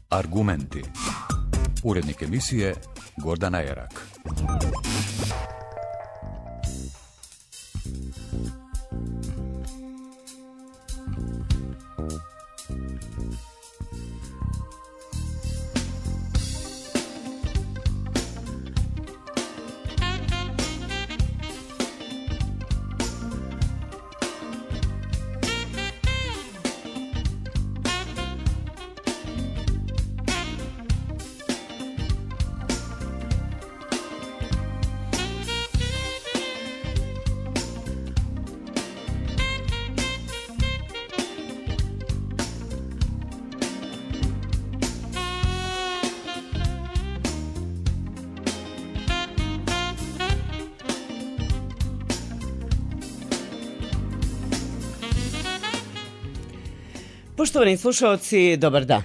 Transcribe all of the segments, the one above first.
Argumenti. Urednik emisije Gordana Erak. Poštovani slušalci, dobar dan.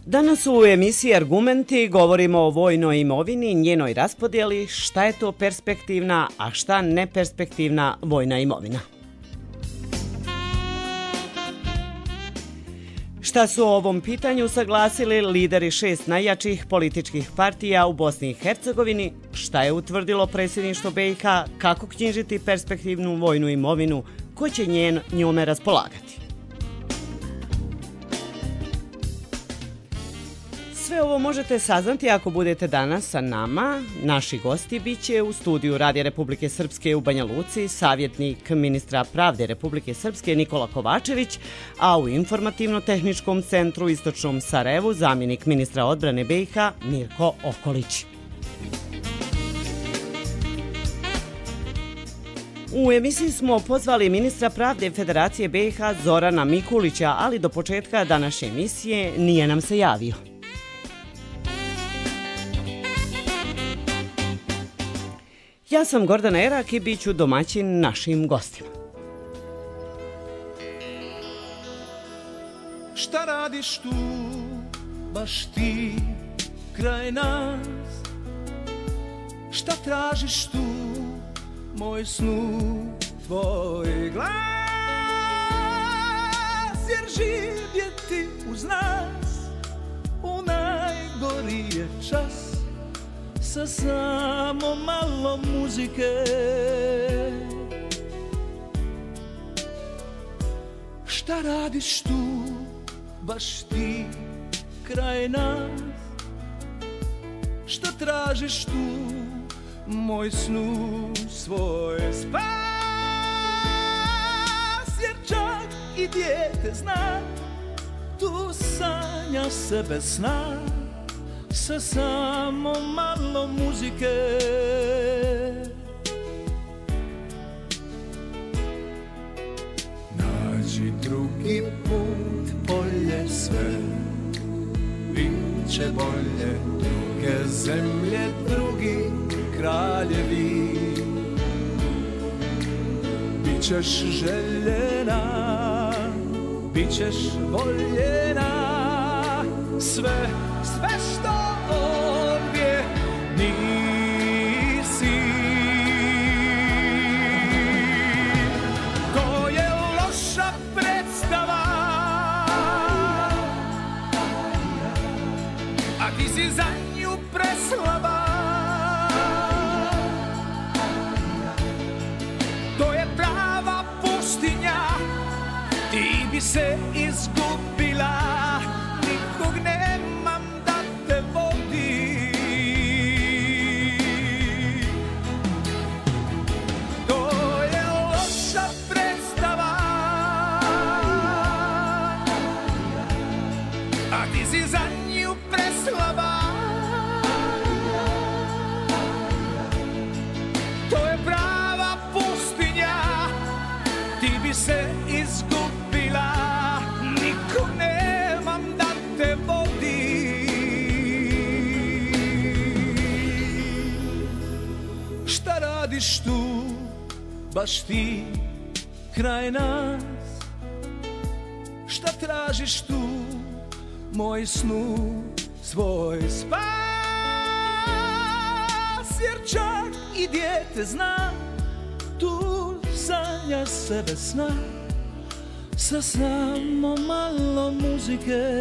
Danas u emisiji Argumenti govorimo o vojnoj imovini, njenoj raspodjeli, šta je to perspektivna, a šta neperspektivna vojna imovina. Šta su o ovom pitanju saglasili lideri 6 najjačih političkih partija u Bosni i Hercegovini, šta je utvrdilo predsjedništvo BiH, kako knjižiti perspektivnu vojnu imovinu, ko će njome raspolagati. Sve ovo možete saznati ako budete danas sa nama. Naši gosti biće u studiju Radija Republike Srpske u Banja Luci savjetnik ministra pravde Republike Srpske Nikola Kovačević, a u informativno-tehničkom centru Istočnom Sarajevu zamjenik ministra odbrane BiH Mirko Okolić. U emisiji smo pozvali ministra pravde Federacije BiH Zorana Mikulića, ali do početka današnje emisije nije nam se javio. Ja sam Gordana Erak i bit ću domaćin našim gostima. Šta radiš tu, baš ti, kraj nas? Šta tražiš tu, moj snu, tvoj glas? Jer živjeti uz nas u najgorije čas, sa samo malo muzike. Šta radiš tu, baš ti, kraj nas? Šta tražiš tu, moj snu, svoj spas? Jer čak i dijete zna, tu sanja sebe sna, sa samo malo muzike. Nađi drugi put, polje sve, biće bolje, druge zemlje, drugi kraljevi. Bićeš željena, bićeš voljena, sve što ovdje nisi. To je loša predstava, a ti si za nju preslaba. To je prava pustinja, ti bi se izgubila, nikog nemam da te vodi. To je loša predstava, a ti si za nju preslaba. To je prava pustinja, ti bi se izgubila, nikog nemam da te vodi. Šta radiš tu, baš ti, kraj nas? Šta tražiš tu, moj snu, svoj spas? Jer čak i dijete zna, tu sanja sebe sna, sa samo malo muzike.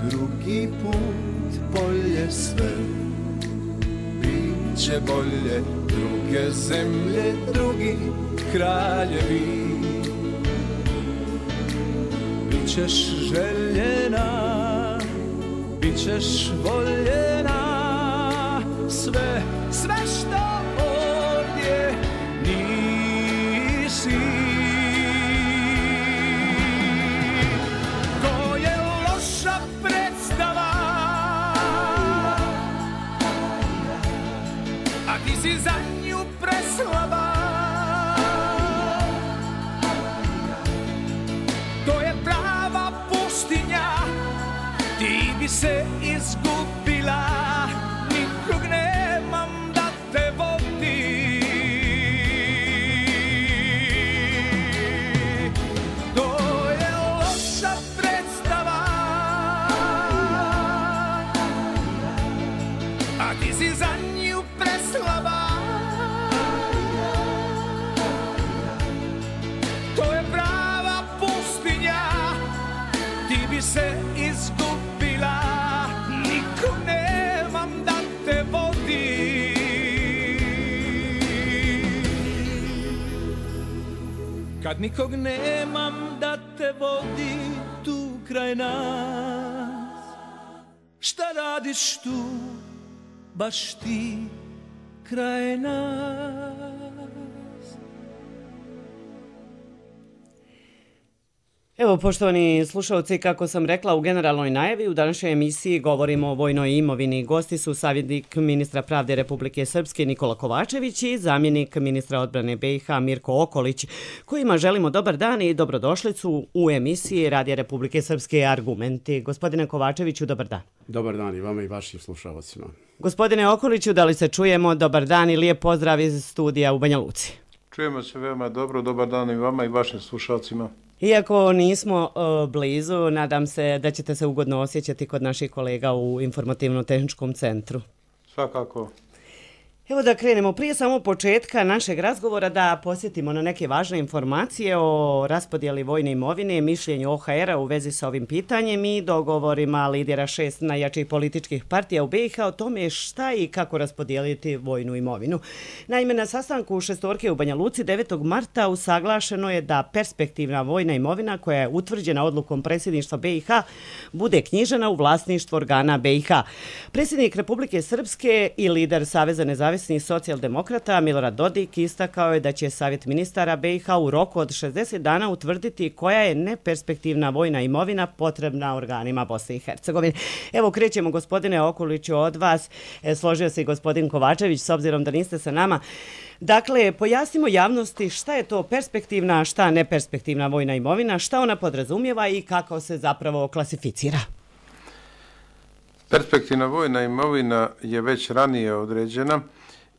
Drugi put bolje sve, bit će bolje, druge zemlje, drugi kraljevi. Bićeš željena, bićeš voljena, sve što ovdje nisi. Si za nju preslaba, to je prava pustinja, ti bi se izgubila, nikog nemam da te vodi. To je loša predstava, a ti si za nju preslaba. Se izgubila, nikog nemam da te vodi. Kad nikog nemam da te vodi tu kraj nas, šta radiš tu, baš ti kraj nas? Evo, poštovani slušalci, kako sam rekla u generalnoj najavi, u današnjoj emisiji govorimo o vojnoj imovini. Gosti su savjetnik ministra pravde Republike Srpske Nikola Kovačević i zamjenik ministra odbrane BiH Mirko Okolić, kojima želimo dobar dan i dobrodošlicu u emisiji Radija Republike Srpske Argumenti. Gospodine Kovačeviću, dobar dan. Dobar dan i vama i vašim slušalcima. Gospodine Okoliću, da li se čujemo? Dobar dan i lijep pozdrav iz studija u Banja Luci. Čujemo se veoma dobro, dobar dan i vama i vašim slušalcima. Iako nismo blizu, nadam se da ćete se ugodno osjećati kod naših kolega u informativno-tehničkom centru. Svakako. Evo da krenemo prije samo početka našeg razgovora da posjetimo na neke važne informacije o raspodjeli vojne imovine, mišljenju OHR-a u vezi sa ovim pitanjem i dogovorima lidera 6 najjačih političkih partija u BiH o tome šta i kako raspodijeliti vojnu imovinu. Naime, na sastanku šestorke u Banja Luci 9. marta usaglašeno je da perspektivna vojna imovina koja je utvrđena odlukom predsjedništva BiH bude knjižena u vlasništvo organa BiH. Predsjednik Republike Srpske i lider Saveza nezavisnih socijaldemokrata Milorad Dodik istakao je da će Savjet ministara BiH u roku od 60 dana utvrditi koja je neperspektivna vojna imovina potrebna organima Bosne i Hercegovine. Evo, krećemo, gospodine Okoliću, od vas. Složio se i gospodin Kovačević, s obzirom da niste sa nama. Dakle, pojasnimo javnosti šta je to perspektivna, a šta neperspektivna vojna imovina, šta ona podrazumijeva i kako se zapravo klasificira. Perspektivna vojna imovina je već ranije određena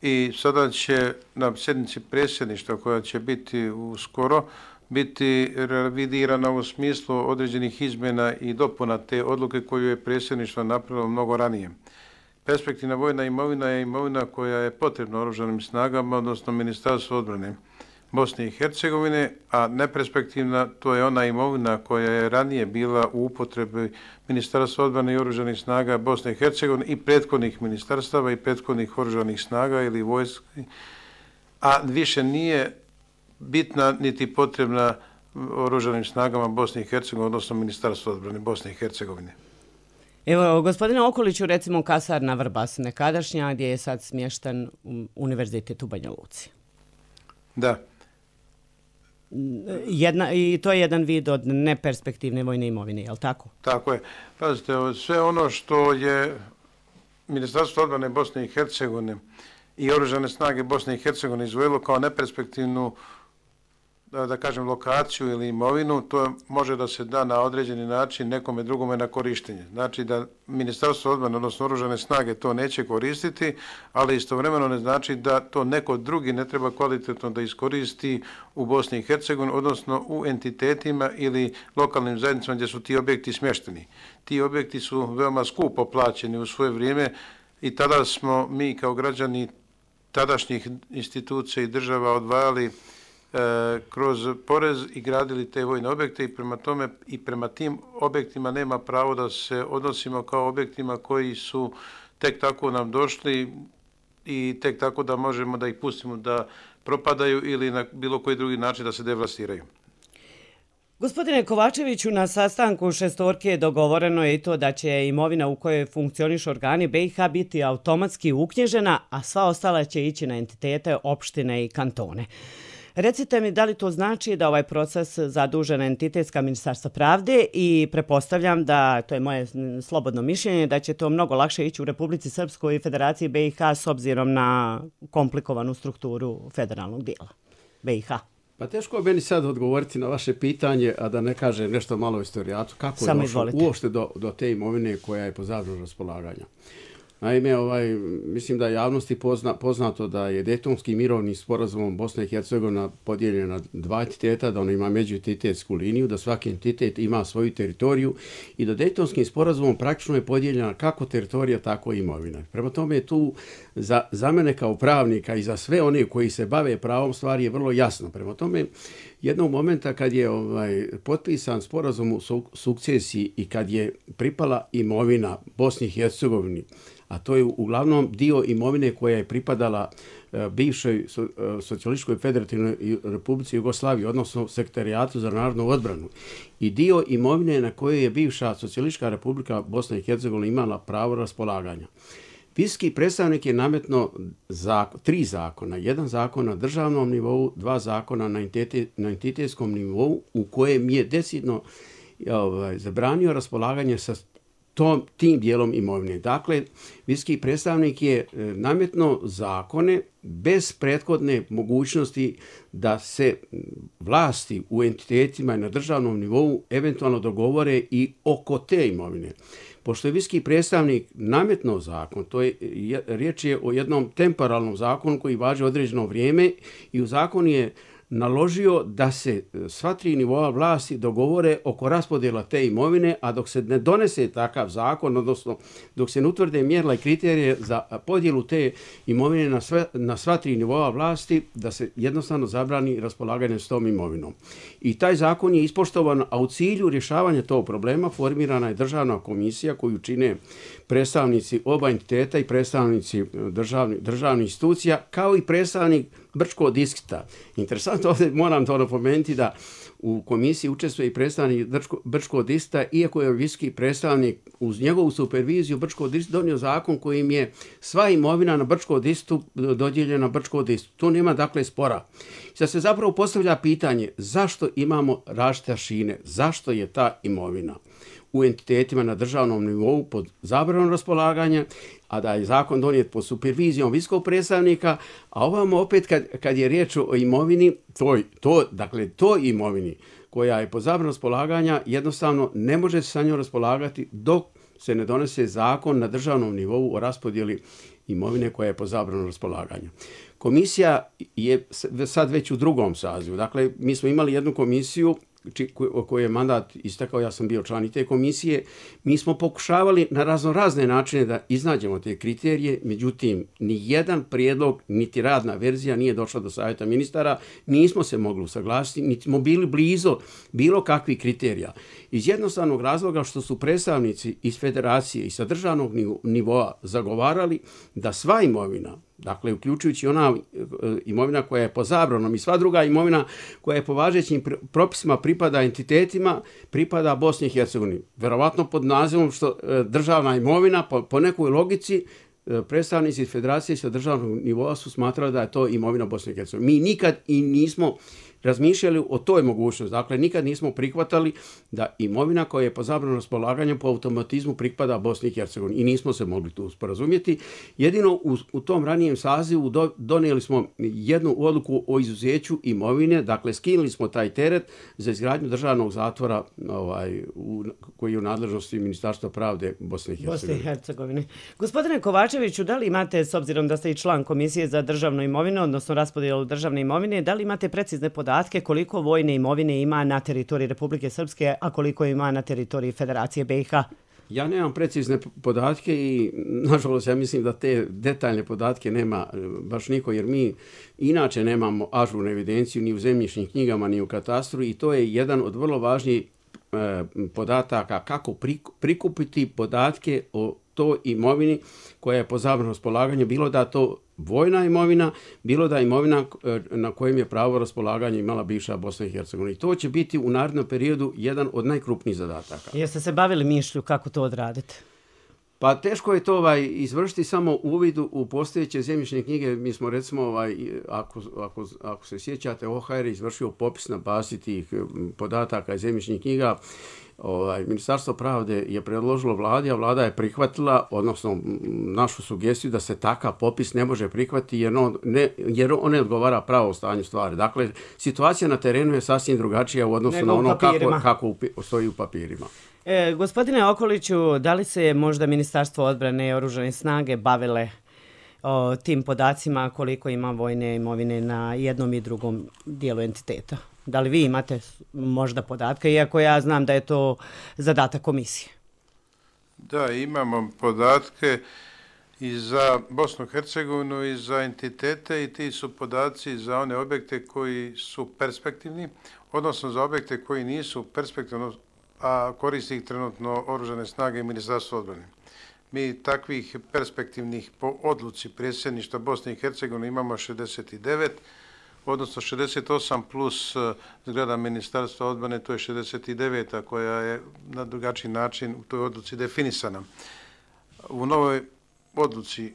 i sada će na sjednici predsjedništva koja će biti uskoro biti revidirana u smislu određenih izmjena i dopuna te odluke koju je predsjedništvo napravilo mnogo ranije. Perspektivna vojna imovina je imovina koja je potrebna oružanim snagama, odnosno Ministarstvu odbrane Bosne i Hercegovine, a neperspektivna to je ona imovina koja je ranije bila u upotrebi Ministarstva odbrane i oružanih snaga Bosne i Hercegovine i prethodnih ministarstava i prethodnih oružanih snaga ili vojski, a više nije bitna niti potrebna oružanim snagama Bosne i Hercegovine, odnosno Ministarstva odbrane Bosne i Hercegovine. Evo, gospodine Okoliću, recimo kasarna Vrbas nekadašnja, gdje je sad smješten univerzitet u Banja Luci. Da. I to je jedan vid od neperspektivne vojne imovine, je li tako? Tako je. Pazite, sve ono što je Ministarstvo odbrane Bosne i Hercegovine i oružane snage Bosne i Hercegovine izvojilo kao neperspektivnu da kažem, lokaciju ili imovinu, to može da se da na određeni način nekome drugome na korištenje. Znači da Ministarstvo odbrane, odnosno Oružane snage to neće koristiti, ali istovremeno ne znači da to neko drugi ne treba kvalitetno da iskoristi u Bosni i Hercegovini, odnosno u entitetima ili lokalnim zajednicama gdje su ti objekti smješteni. Ti objekti su veoma skupo plaćeni u svoje vrijeme i tada smo mi kao građani tadašnjih institucija i država odvajali kroz porez i gradili te vojne objekte i prema tome i prema tim objektima nema pravo da se odnosimo kao objektima koji su tek tako nam došli i tek tako da možemo da ih pustimo da propadaju ili na bilo koji drugi način da se devastiraju. Gospodine Kovačeviću, na sastanku šestorke dogovoreno je i to da će imovina u kojoj funkcionišu organi BiH biti automatski uknjižena, a sva ostala će ići na entitete, opštine i kantone. Recite mi da li to znači da ovaj proces zadužena entitetska Ministarstva pravde i pretpostavljam da, to je moje slobodno mišljenje, da će to mnogo lakše ići u Republici Srpskoj i Federaciji BiH s obzirom na komplikovanu strukturu federalnog dijela BiH. Pa teško je meni sad odgovoriti na vaše pitanje, a da ne kažem nešto malo o istorijatu. Kako je došlo uopšte do te imovine koja je po zabranu raspolaganja? Naime, mislim da je javnosti poznato da je Dejtonski mirovni sporazumom Bosna i Hercegovina podijeljena na dva entiteta, da ona ima međuentitetsku liniju, da svaki entitet ima svoju teritoriju i da Dejtonskim sporazumom praktično je podijeljena kako teritorija, tako i imovina. Prema tome je tu za mene kao pravnika i za sve one koji se bave pravom stvari je vrlo jasno. Prema tome, jednog momenta kad je potpisan sporazum u sukcesiji i kad je pripala imovina Bosni i Hercegovini, a to je uglavnom dio imovine koja je pripadala bivšoj Socijalističkoj federativnoj Republici Jugoslaviji, odnosno Sekretarijatu za narodnu odbranu, i dio imovine na kojoj je bivša Socijalistička Republika Bosna i Hercegovina imala pravo raspolaganja. Visoki predstavnik je nametno tri zakona. Jedan zakon na državnom nivou, dva zakona na entitetskom nivou u kojem je decidno zabranio raspolaganje sa tim dijelom imovine. Dakle, visoki predstavnik je nametno zakone bez prethodne mogućnosti da se vlasti u entitetima i na državnom nivou eventualno dogovore i oko te imovine. Pošto je visoki predstavnik nametno zakon, riječ je o jednom temporalnom zakonu koji važi određeno vrijeme i u zakon je naložio da se sva tri nivoa vlasti dogovore oko raspodjela te imovine, a dok se ne donese takav zakon, odnosno dok se ne utvrde mjerila i kriterije za podjelu te imovine na sva tri nivoa vlasti, da se jednostavno zabrani raspolaganje s tom imovinom. I taj zakon je ispoštovan, a u cilju rješavanja tog problema formirana je državna komisija koju čine predstavnici oba entiteta i predstavnici državnih institucija, kao i predstavnik Brčkog distrikta. Interesantno, ovdje moram to napomenuti da u komisiji učestvuje i predstavnik Brčkog distrikta, iako je visoki predstavnik uz njegovu superviziju Brčkog distrikta donio zakon kojim je sva imovina na Brčkog distriktu dodijeljena Brčkog distriktu. Tu nema dakle spora. Sad se zapravo postavlja pitanje zašto imamo različite aršine, zašto je ta imovina u entitetima na državnom nivou pod zabranom raspolaganja, a da je zakon donijet pod supervizijom visokog predstavnika, a ovamo opet kad je riječ o imovini, toj imovini koja je pod zabranom raspolaganja, jednostavno ne može se sa njom raspolagati dok se ne donese zakon na državnom nivou o raspodjeli imovine koja je pod zabranom raspolaganja. Komisija je sad već u drugom sazivu. Dakle, mi smo imali jednu komisiju koji je mandat istekao, ja sam bio član i te komisije. Mi smo pokušavali na razne načine da iznađemo te kriterije, međutim, ni jedan prijedlog, niti radna verzija nije došla do savjeta ministara, nismo se mogli usaglasiti, niti smo bili blizu bilo kakvih kriterija. Iz jednostavnog razloga što su predstavnici iz federacije i sa državnog nivoa zagovarali da sva imovina, dakle, uključujući ona imovina koja je po zabranom i sva druga imovina koja je po važećim propisima pripada entitetima, pripada Bosni i Hercegovini. Verovatno pod nazivom što državna imovina, po nekoj logici, predstavnici federacije sa državnog nivoa su smatrali da je to imovina Bosne i Hercegovine. Mi nikad i nismo razmišljali o toj mogućnosti. Dakle, nikad nismo prihvatali da imovina koja je po zabranu raspolaganja po automatizmu pripada Bosni i Hercegovini i nismo se mogli tu sporazumjeti. Jedino u tom ranijem sazivu donijeli smo jednu odluku o izuzeću imovine, dakle skinuli smo taj teret za izgradnju državnog zatvora koji je u nadležnosti Ministarstva pravde Bosne i Hercegovine. Gospodine Kovačeviću, da li imate, s obzirom da ste i član Komisije za državnu imovinu, odnosno raspodjelu državne imovine, da li imate precizne podatke koliko vojne imovine ima na teritoriji Republike Srpske, a koliko ima na teritoriji Federacije BiH? Ja nemam precizne podatke i, nažalost, ja mislim da te detaljne podatke nema baš niko, jer mi inače nemamo ažurnu evidenciju ni u zemljišnim knjigama, ni u katastru i to je jedan od vrlo važnijih podataka kako prikupiti podatke o toj imovini koja je po zabranu raspolaganja, bilo da to vojna imovina, bilo da imovina na kojem je pravo raspolaganja imala bivša Bosna i Hercegovina. I to će biti u narednom periodu jedan od najkrupnijih zadataka. Jeste se bavili mišlju kako to odradite? Pa teško je to izvršiti samo uvidu u postojeće zemljišne knjige. Mi smo recimo, ako se sjećate, OHR je izvršio popis na bazi tih podataka iz zemljišnih knjiga. Ministarstvo pravde je predložilo vladi, a vlada je prihvatila, odnosno našu sugestiju da se takav popis ne može prihvatiti jer on ne odgovara pravo stanju stvari. Dakle, situacija na terenu je sasvim drugačija u odnosu na ono kako stoji u papirima. Gospodine Okoliću, da li se možda Ministarstvo odbrane i oružane snage bavile tim podacima koliko ima vojne imovine na jednom i drugom dijelu entiteta? Da li vi imate možda podatke, iako ja znam da je to zadatak komisije? Da, imamo podatke i za Bosnu i Hercegovinu i za entitete i ti su podaci za one objekte koji su perspektivni, odnosno za objekte koji nisu perspektivni, a koristi ih trenutno oružane snage i Ministarstvo odbrane. Mi takvih perspektivnih po odluci predsjedništva Bosne i Hercegovine imamo 69, odnosno 68 plus zgrada Ministarstva odbrane, to je 69, koja je na drugačiji način u toj odluci definisana. U novoj odluci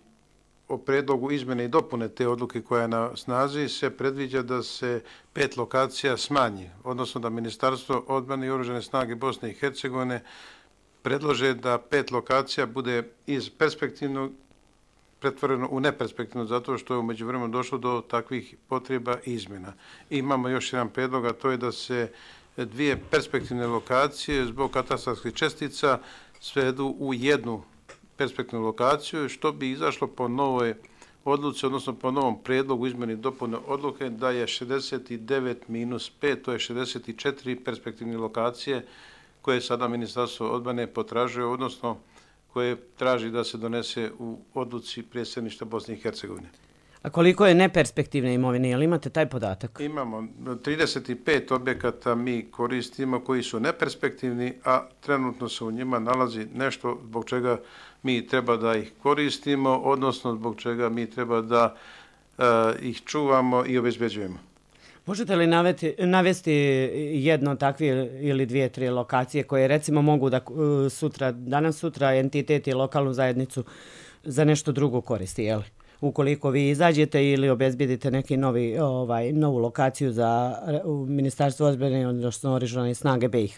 o predlogu izmjene i dopune te odluke koja je na snazi se predviđa da se 5 lokacija smanji, odnosno da Ministarstvo odbrane i oružane snage Bosne i Hercegovine predlože da 5 lokacija bude iz perspektivnog pretvoreno u neperspektivno, zato što je u međuvremenu došlo do takvih potreba i izmjena. I imamo još jedan predlog, a to je da se 2 perspektivne lokacije zbog katastarskih čestica svedu u jednu perspektivnu lokaciju, što bi izašlo po novoj odluci, odnosno po novom predlogu izmjene i dopune odluke, da je 69 minus 5, to je 64 perspektivne lokacije koje sada Ministarstvo odbrane potražuje, odnosno koje traži da se donese u odluci predsjedništva Bosne i Hercegovine. A koliko je neperspektivne imovine? Jel imate taj podatak? Imamo 35 objekata mi koristimo koji su neperspektivni, a trenutno se u njima nalazi nešto zbog čega mi treba da ih koristimo, odnosno zbog čega mi treba da ih čuvamo i obezbeđujemo. Možete li navesti jedno takve ili 2-3 lokacije koje recimo mogu da danas sutra entitet i lokalnu zajednicu za nešto drugo koristi, jel? Ukoliko vi izađete ili obezbedite neki novu lokaciju za Ministarstvo odbrane, odnosno oružane snage BiH?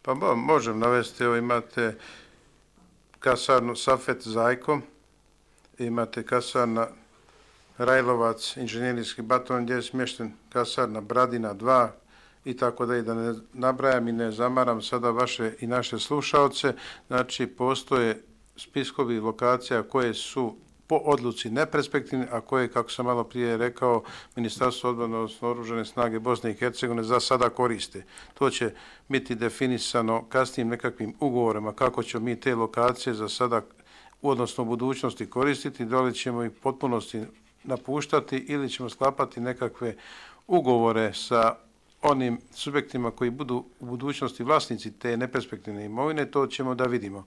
Pa možem navesti, imate kasarnu Safet Zajko, imate kasarna Rajlovac, inženjerijski bataljon gdje je smješten, kasarna Bradina 2 i tako da ne nabrajam i ne zamaram sada vaše i naše slušaoce. Znači, postoje spiskovi lokacija koje su po odluci neperspektivne, a koje, kako sam malo prije rekao, Ministarstvo odbrane, odnosno oružane snage Bosne i Hercegovine za sada koriste. To će biti definisano kasnijim nekakvim ugovorima kako ćemo mi te lokacije za sada, odnosno u budućnosti koristiti, da li ćemo ih potpunosti napuštati ili ćemo sklapati nekakve ugovore sa onim subjektima koji budu u budućnosti vlasnici te neperspektivne imovine, to ćemo da vidimo.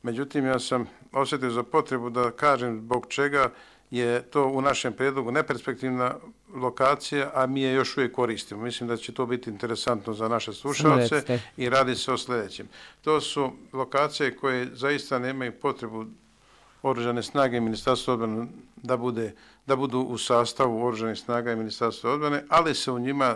Međutim, ja sam osjetio za potrebu da kažem zbog čega je to u našem prijedlogu neperspektivna lokacija, a mi je još uvijek koristimo. Mislim da će to biti interesantno za naše slušalce i radi se o sljedećem. To su lokacije koje zaista nemaju potrebu oružane snage Ministarstva odbrane da bude da budu u sastavu Oružanih snaga i Ministarstva odbrane, ali se u njima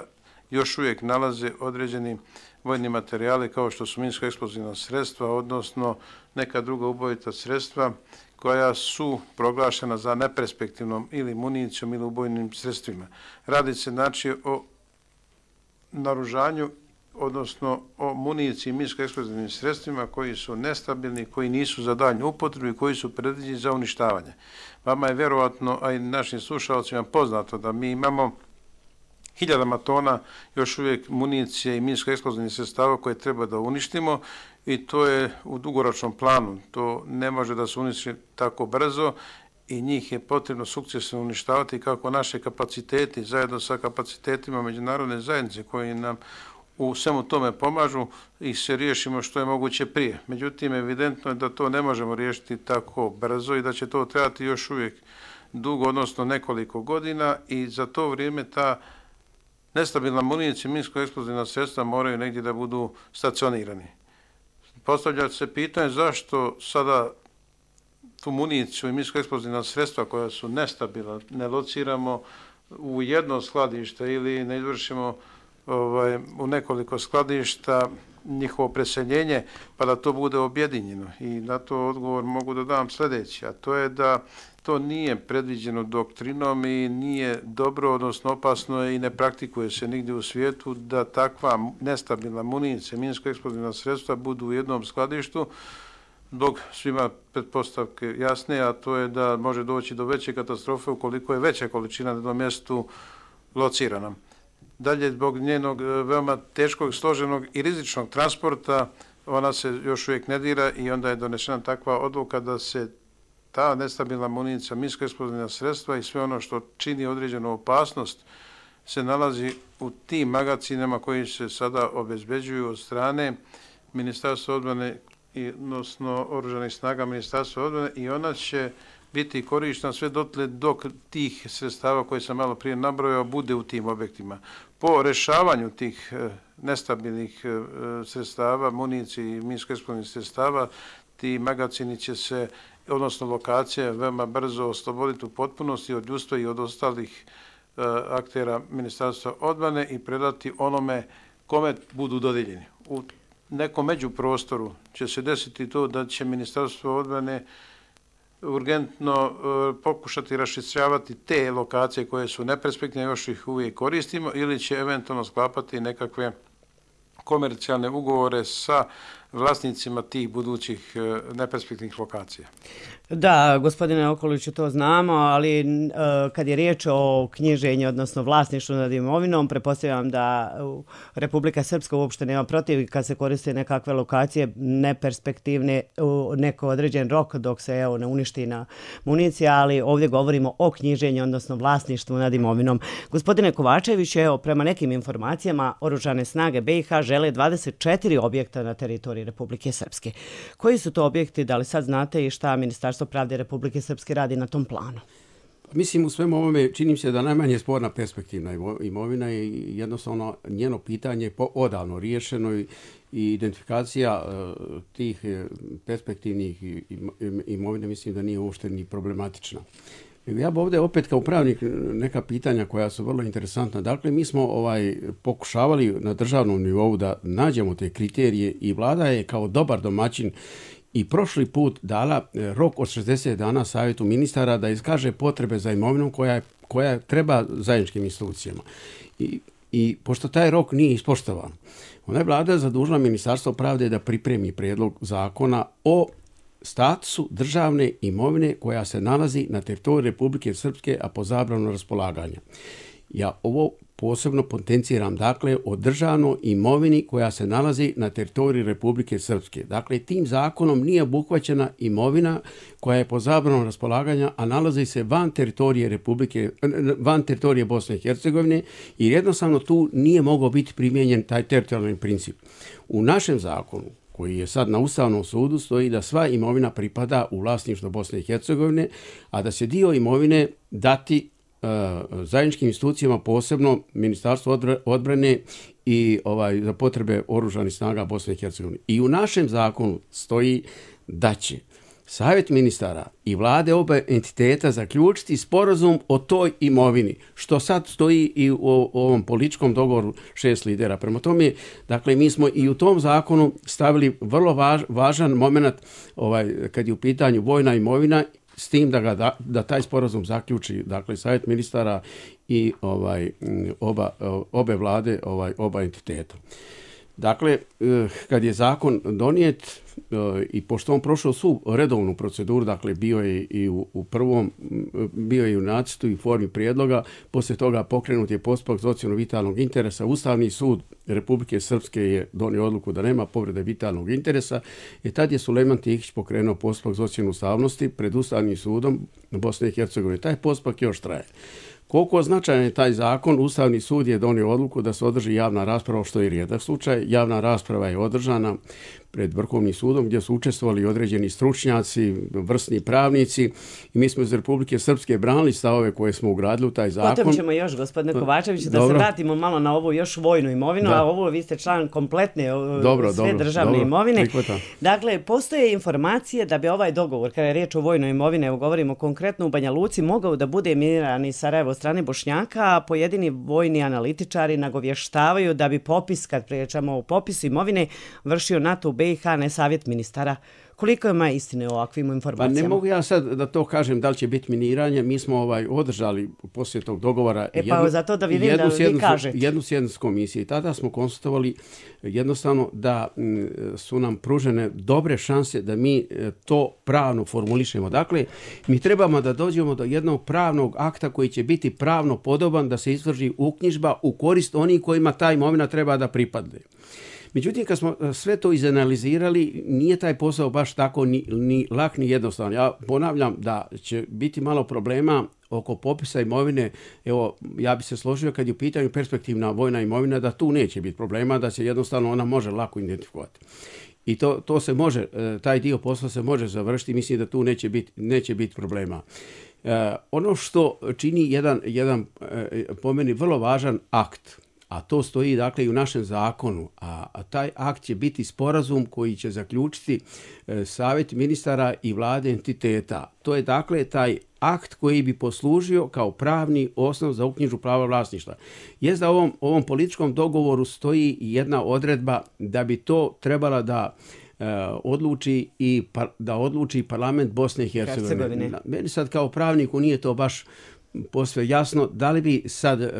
još uvijek nalaze određeni vojni materijali kao što su minsko-eksplozivna sredstva, odnosno neka druga ubojita sredstva koja su proglašena za neperspektivnom ili municijom ili ubojnim sredstvima. Radi se znači o naoružanju, odnosno o municiji i minsko-eksplozivnim sredstvima koji su nestabilni, koji nisu za daljnju upotrebu i koji su predviđeni za uništavanje. Vama je vjerovatno, a i našim slušalcima poznato da mi imamo hiljadama tona još uvijek municije i minsko-eksplozivnih sredstava koje treba da uništimo i to je u dugoročnom planu. To ne može da se uništi tako brzo i njih je potrebno sukcesivno uništavati kako naše kapaciteti zajedno sa kapacitetima međunarodne zajednice koji nam u svemu tome pomažu i se riješimo što je moguće prije. Međutim, evidentno je da to ne možemo riješiti tako brzo i da će to trebati još uvijek dugo, odnosno nekoliko godina i za to vrijeme ta nestabilna municija i minsko-eksplozivna sredstva moraju negdje da budu stacionirani. Postavlja se pitanje zašto sada tu municiju i minsko-eksplozivna sredstva koja su nestabilna ne lociramo u jedno skladište ili ne izvršimo u nekoliko skladišta njihovo preseljenje pa da to bude objedinjeno. I na to odgovor mogu da dam sljedeći, a to je da to nije predviđeno doktrinom i nije dobro, odnosno opasno i ne praktikuje se nigdje u svijetu da takva nestabilna municija, minsko-eksplozivna sredstva budu u jednom skladištu zbog svima pretpostavke jasne, a to je da može doći do veće katastrofe ukoliko je veća količina na jednom mjestu locirana. Dalje, zbog njenog veoma teškog, složenog i rizičnog transporta, ona se još uvijek ne dira i onda je donešena takva odluka da se ta nestabilna municija, minsko-eksplozivna sredstva i sve ono što čini određenu opasnost se nalazi u tim magazinama koji se sada obezbeđuju od strane Ministarstva odbrane, odnosno Oružanih snaga Ministarstva odbrane i ona će biti korištena sve dotle dok tih sredstava koje sam malo prije nabrojao bude u tim objektima. Po rešavanju tih nestabilnih sredstava, municije i minsko-eksplozivnih sredstava, ti magazini će se, odnosno lokacije, veoma brzo osloboditi u potpunosti od ljudstva i od ostalih aktera Ministarstva odbrane i predati onome kome budu dodijeljeni. U nekom međuprostoru će se desiti to da će Ministarstvo odbrane urgentno pokušati raščistjavati te lokacije koje su neperspektivne, još ih uvijek koristimo, ili će eventualno sklapati nekakve komercijalne ugovore sa vlasnicima tih budućih neperspektivnih lokacija. Da, gospodine Okoliću, to znamo, ali kad je riječ o knjiženju, odnosno vlasništvu nad imovinom, pretpostavljam da Republika Srpska uopšte nema protiv kad se koriste nekakve lokacije neperspektivne u neko određen rok dok se ne uništi na municija, ali ovdje govorimo o knjiženju, odnosno vlasništvu nad imovinom. Gospodine Kovačević, prema nekim informacijama Oružane snage BiH žele 24 objekta na teritoriji Republike Srpske. Koji su to objekti, da li sad znate i šta Ministarstvo pravde Republike Srpske radi na tom planu? Mislim, u svemu ovome čini se da najmanje sporna perspektivna imovina i jednostavno njeno pitanje je odavno riješeno i identifikacija tih perspektivnih imovine mislim da nije uopšte ni problematična. Ja bi ovdje opet kao pravnik neka pitanja koja su vrlo interesantna. Dakle, mi smo pokušavali na državnom nivou da nađemo te kriterije i vlada je kao dobar domaćin i prošli put dala rok od 60 dana Savjetu ministara da iskaže potrebe za imovinom koja treba zajedničkim institucijama. I pošto taj rok nije ispoštovan, onda je vlada zadužila Ministarstvo pravde da pripremi prijedlog zakona o statusu državne imovine koja se nalazi na teritoriju Republike Srpske, a po zabranu raspolaganja. Ja ovo posebno potenciram, dakle, o državnoj imovini koja se nalazi na teritoriji Republike Srpske. Dakle, tim zakonom nije obuhvaćena imovina koja je po zabranu raspolaganja, a nalazi se van teritorije Bosne i Hercegovine i jednostavno tu nije mogao biti primijenjen taj teritorijalni princip. U našem zakonu, koji je sad na Ustavnom sudu, stoji da sva imovina pripada u vlasništvo Bosne i Hercegovine, a da se dio imovine dati zajedničkim institucijama, posebno Ministarstvo odbrane i za potrebe Oružanih snaga Bosne i Hercegovine. I u našem zakonu stoji da će Savjet ministara i vlade obe entiteta zaključiti sporazum o toj imovini, što sad stoji i u ovom političkom dogovoru 6 lidera. Prema tome, dakle, mi smo i u tom zakonu stavili vrlo važan moment kad je u pitanju vojna imovina, s tim da taj sporazum zaključi, dakle, Savjet ministara i obe vlade, oba entiteta. Dakle, kad je zakon donijet i pošto on prošao svu redovnu proceduru, dakle bio je i u prvom, bio je i u nacrtu i formi prijedloga, poslije toga pokrenut je postupak za ocjenu vitalnog interesa. Ustavni sud Republike Srpske je donio odluku da nema povrede vitalnog interesa i tad je Sulejman Tihić pokrenuo postupak za ocjenu ustavnosti pred Ustavnim sudom Bosne i Hercegovine. Taj postupak još traje. Koliko značajan je taj zakon, Ustavni sud je donio odluku da se održi javna rasprava, što je rijedak slučaj. Javna rasprava je održana pred Vrhovnim sudom gdje su učestvovali određeni stručnjaci, vrsni pravnici i mi smo iz Republike Srpske branili stavove koje smo ugradili u taj zakon. Potom ćemo još, gospodine Kovačević, da se vratimo malo na ovu još vojnu imovinu, a ovo vi ste član kompletne sve državne imovine. Prihvatam. Dakle, postoje informacije da bi ovaj dogovor, kada je riječ o vojnoj imovine, evo govorimo konkretno u Banja Luci, mogao da bude miniran iz Sarajeva od strane Bošnjaka, a pojedini vojni analitičari nagovještavaju da bi popis, kad pričamo o popisu imovine, vršio NATO u BiH, ne Savjet ministara. Koliko ima istine o ovakvim informacijama? Pa ne mogu ja sad da to kažem da li će biti miniranje. Mi smo održali poslije tog dogovora zato da vidim da vi kažete. Jednu sjednicu komisije i tada smo konstatovali jednostavno da su nam pružene dobre šanse da mi to pravno formulišemo. Dakle, mi trebamo da dođemo do jednog pravnog akta koji će biti pravno podoban da se izvrši uknjižba u korist onih kojima ta imovina treba da pripadne. Međutim, kad smo sve to izanalizirali, nije taj posao baš tako ni lak ni jednostavan. Ja ponavljam da će biti malo problema oko popisa imovine. Evo, ja bi se složio kad je u pitanju perspektivna vojna imovina da tu neće biti problema, da se jednostavno ona može lako identifikovati. I to se može, taj dio posla se može završiti, mislim da tu neće biti problema. Ono što čini jedan po meni vrlo važan akt, a to stoji dakle i u našem zakonu, a taj akt će biti sporazum koji će zaključiti Savjet ministara i vlade entiteta. To je dakle taj akt koji bi poslužio kao pravni osnov za uknjižbu prava vlasništva. Jest da u ovom političkom dogovoru stoji jedna odredba da bi to trebala da odluči parlament Bosne i Hercegovine. Meni sad kao pravniku nije to baš posve jasno da li bi sad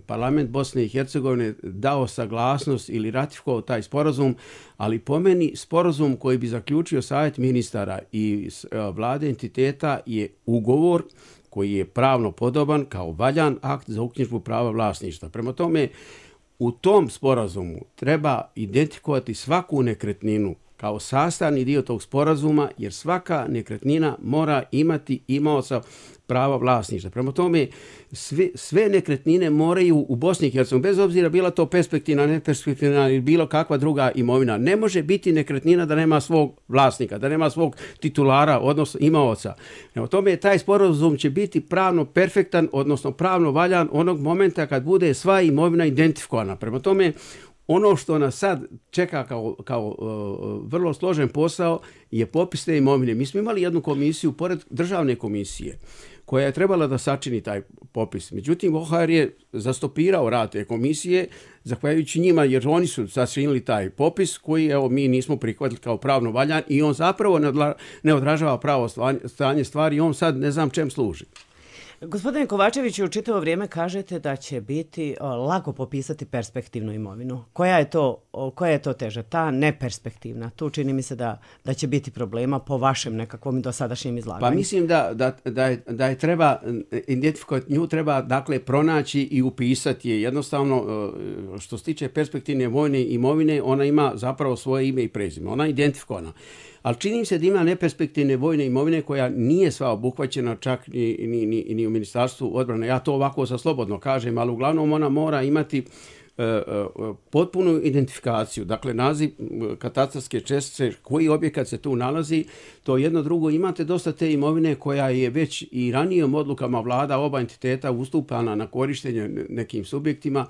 parlament Bosne i Hercegovine dao saglasnost ili ratifikovao taj sporazum, ali po meni sporazum koji bi zaključio Savjet ministara i vlade entiteta je ugovor koji je pravno podoban kao valjan akt za uknjižbu prava vlasništva. Prema tome, u tom sporazumu treba identifikovati svaku nekretninu kao sastavni dio tog sporazuma, jer svaka nekretnina mora imati imaoca prava vlasništva. Prema tome, sve nekretnine moraju u Bosni i Hercegovini, bez obzira bila to perspektivna, neperspektivna ili bilo kakva druga imovina, ne može biti nekretnina da nema svog vlasnika, da nema svog titulara, odnosno imaoca. Prema tome, taj sporazum će biti pravno perfektan, odnosno pravno valjan onog momenta kad bude sva imovina identifikovana. Prema tome, ono što nas sad čeka kao vrlo složen posao je popis te imovine. Mi smo imali jednu komisiju pored državne komisije koja je trebala da sačini taj popis. Međutim, OHR je zastopirao rad te komisije zahvaljujući njima jer oni su sačinili taj popis koji mi nismo prihvatili kao pravno valjan i on zapravo ne odražava pravo stanje stvari i on sad ne znam čem služi. Gospodine Kovačeviću, u čitavo vrijeme kažete da će biti lako popisati perspektivnu imovinu. Koja je to teža? Ta neperspektivna. Tu čini mi se da će biti problema po vašem nekakvom dosadašnjem izlaganju. Pa mislim da je treba identifikovati, nju treba dakle pronaći i upisati je. Jednostavno, što se tiče perspektivne vojne imovine, ona ima zapravo svoje ime i prezime. Ona je identifikovana. Ali čini mi se da ima neperspektivne vojne imovine koja nije sva obuhvaćena čak ni u Ministarstvu odbrane. Ja to ovako sa slobodno kažem, ali uglavnom ona mora imati potpunu identifikaciju, dakle naziv katastarske čestice, koji objekat se tu nalazi, to jedno drugo. Imate dosta te imovine koja je već i ranijim odlukama vlada oba entiteta ustupana na korištenje nekim subjektima.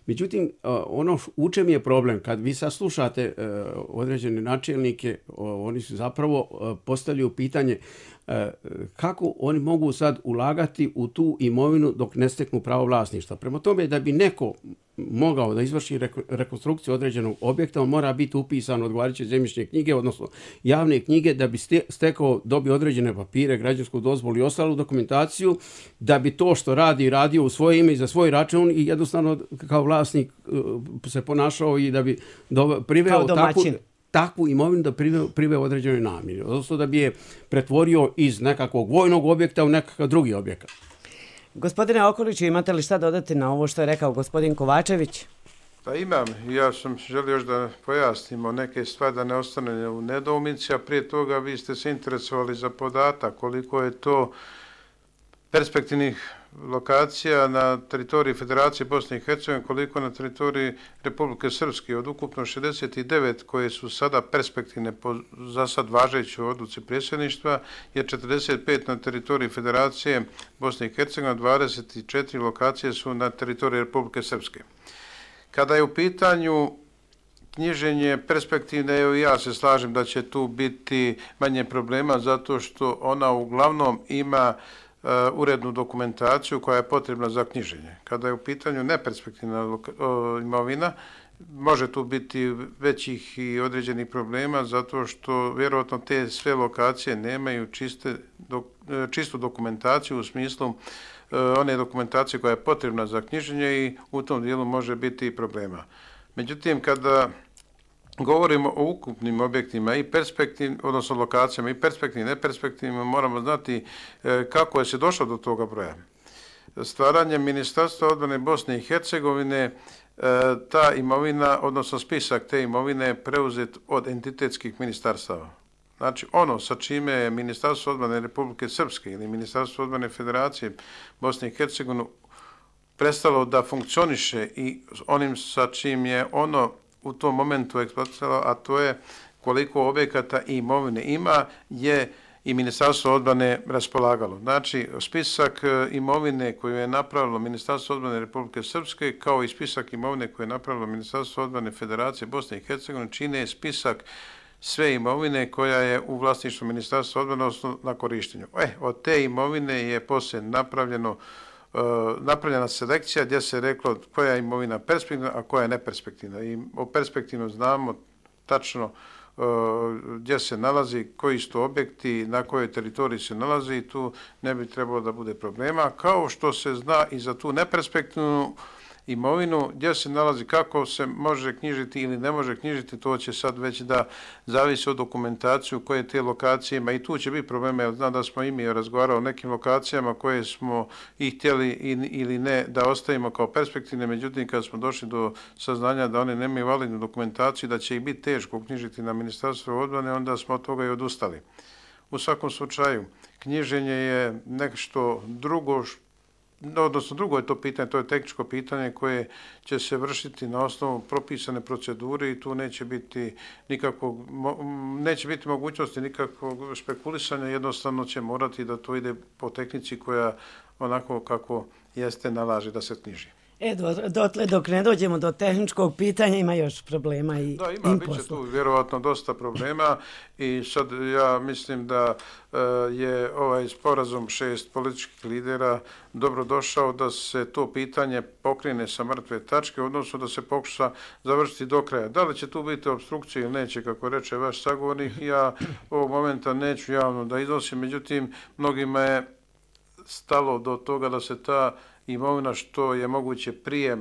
Međutim, ono u čem je problem, kad vi saslušate određene načelnike, oni su zapravo postavljaju pitanje kako oni mogu sad ulagati u tu imovinu dok ne steknu pravo vlasništva. Prema tome, da bi neko mogao da izvrši rekonstrukciju određenog objekta, on mora biti upisan odgovarajuće zemljišne knjige, odnosno javne knjige, da bi dobio određene papire, građansku dozvolu i ostalu dokumentaciju, da bi to što radio u svoje ime i za svoj račun i jednostavno kao vlasnik se ponašao i da bi priveo takvu imovinu da priveo određenoj namjeni. Odnosno da bi je pretvorio iz nekakvog vojnog objekta u nekakav drugi objekat. Gospodine Okoliću, imate li šta dodati na ovo što je rekao gospodin Kovačević? Pa imam. Ja sam želio još da pojasnimo neke stvari da ne ostane u nedoumici, a prije toga vi ste se interesovali za podatak koliko je to perspektivnih lokacija na teritoriji Federacije Bosne i Hercegovine, koliko na teritoriji Republike Srpske. Od ukupno 69 koje su sada perspektivne po za sad važećoj odluci predsjedništva je 45 na teritoriji Federacije Bosne i Hercegovine, 24 lokacije su na teritoriji Republike Srpske. Kada je u pitanju knjiženje perspektivne, evo ja se slažem da će tu biti manje problema zato što ona uglavnom ima urednu dokumentaciju koja je potrebna za knjiženje. Kada je u pitanju neperspektivna imovina, može tu biti većih i određenih problema zato što vjerojatno te sve lokacije nemaju čistu dokumentaciju u smislu one dokumentacije koja je potrebna za knjiženje i u tom dijelu može biti problema. Međutim, kada govorimo o ukupnim objektima i perspektivnim, odnosno lokacijama i perspektivnim i neperspektivnim, moramo znati kako je se došlo do toga broja. Stvaranjem Ministarstva odbrane Bosne i Hercegovine ta imovina, odnosno spisak te imovine je preuzet od entitetskih ministarstava. Znači ono sa čime je Ministarstvo odbrane Republike Srpske ili Ministarstvo odbrane Federacije Bosne i Hercegovine prestalo da funkcioniše i onim sa čim je ono u tom momentu eksploatiralo, a to je koliko objekata i imovine ima, je i Ministarstvo odbrane raspolagalo. Znači, spisak imovine koju je napravilo Ministarstvo odbrane Republike Srpske, kao i spisak imovine koju je napravilo Ministarstvo odbrane Federacije Bosne i Hercegovine, čine spisak sve imovine koja je u vlasništvu Ministarstva odbrane, odnosno na korištenju. Od te imovine je poslije napravljena selekcija gdje se reklo koja je imovina perspektivna, a koja je neperspektivna. I o perspektivnom znamo tačno gdje se nalazi, koji su to objekti, na kojoj teritoriji se nalazi i tu ne bi trebalo da bude problema. Kao što se zna i za tu neperspektivnu imovinu, gdje se nalazi, kako se može knjižiti ili ne može knjižiti, to će sad već da zavisi od dokumentaciju koje te lokacije ima i tu će biti problema, jer znam da smo i mi razgovarali o nekim lokacijama koje smo i htjeli ili ne da ostavimo kao perspektivne, međutim kad smo došli do saznanja da one nemaju validnu dokumentaciju, da će ih biti teško knjižiti na Ministarstvo odbrane, onda smo od toga i odustali. U svakom slučaju, knjiženje je nešto drugo, odnosno drugo je to pitanje, to je tehničko pitanje koje će se vršiti na osnovu propisane procedure i tu neće biti mogućnosti nikakvog špekulisanja, jednostavno će morati da to ide po tehnici koja onako kako jeste nalaže da se knjiži. Dotle dok ne dođemo do tehničkog pitanja ima još problema i da, bit će tu vjerovatno dosta problema i sad ja mislim da je ovaj sporazum 6 političkih lidera dobro došao da se to pitanje pokrene sa mrtve tačke, odnosno da se pokuša završiti do kraja. Da li će tu biti obstrukcije ili neće, kako reče vaš sagovornik, ja ovog momenta neću javno da iznosim, međutim mnogima je stalo do toga da se ta imovina što je moguće prije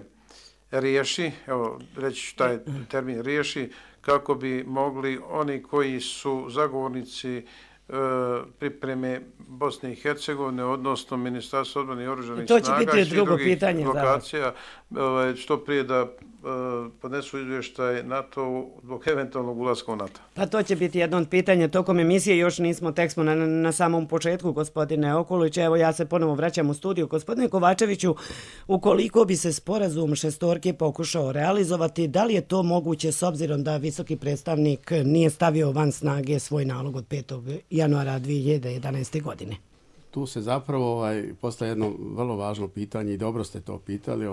riješi, evo reći ću taj termin riješi, kako bi mogli oni koji su zagovornici pripreme Bosne i Hercegovine, odnosno Ministarstva odbrane i oružanih snaga i svih drugih lokacija, što prije da podnesu izvještaj NATO zbog eventualnog ulaska u NATO. Pa to će biti jedno od pitanja tokom emisije, još nismo, tek smo na samom početku, gospodine Okulić. Evo ja se ponovo vraćam u studiju. Gospodine Kovačeviću, ukoliko bi se sporazum šestorke pokušao realizovati, da li je to moguće s obzirom da visoki predstavnik nije stavio van snage svoj nalog od 5. januara 2011. godine? Tu se zapravo postaje jedno vrlo važno pitanje i dobro ste to pitali,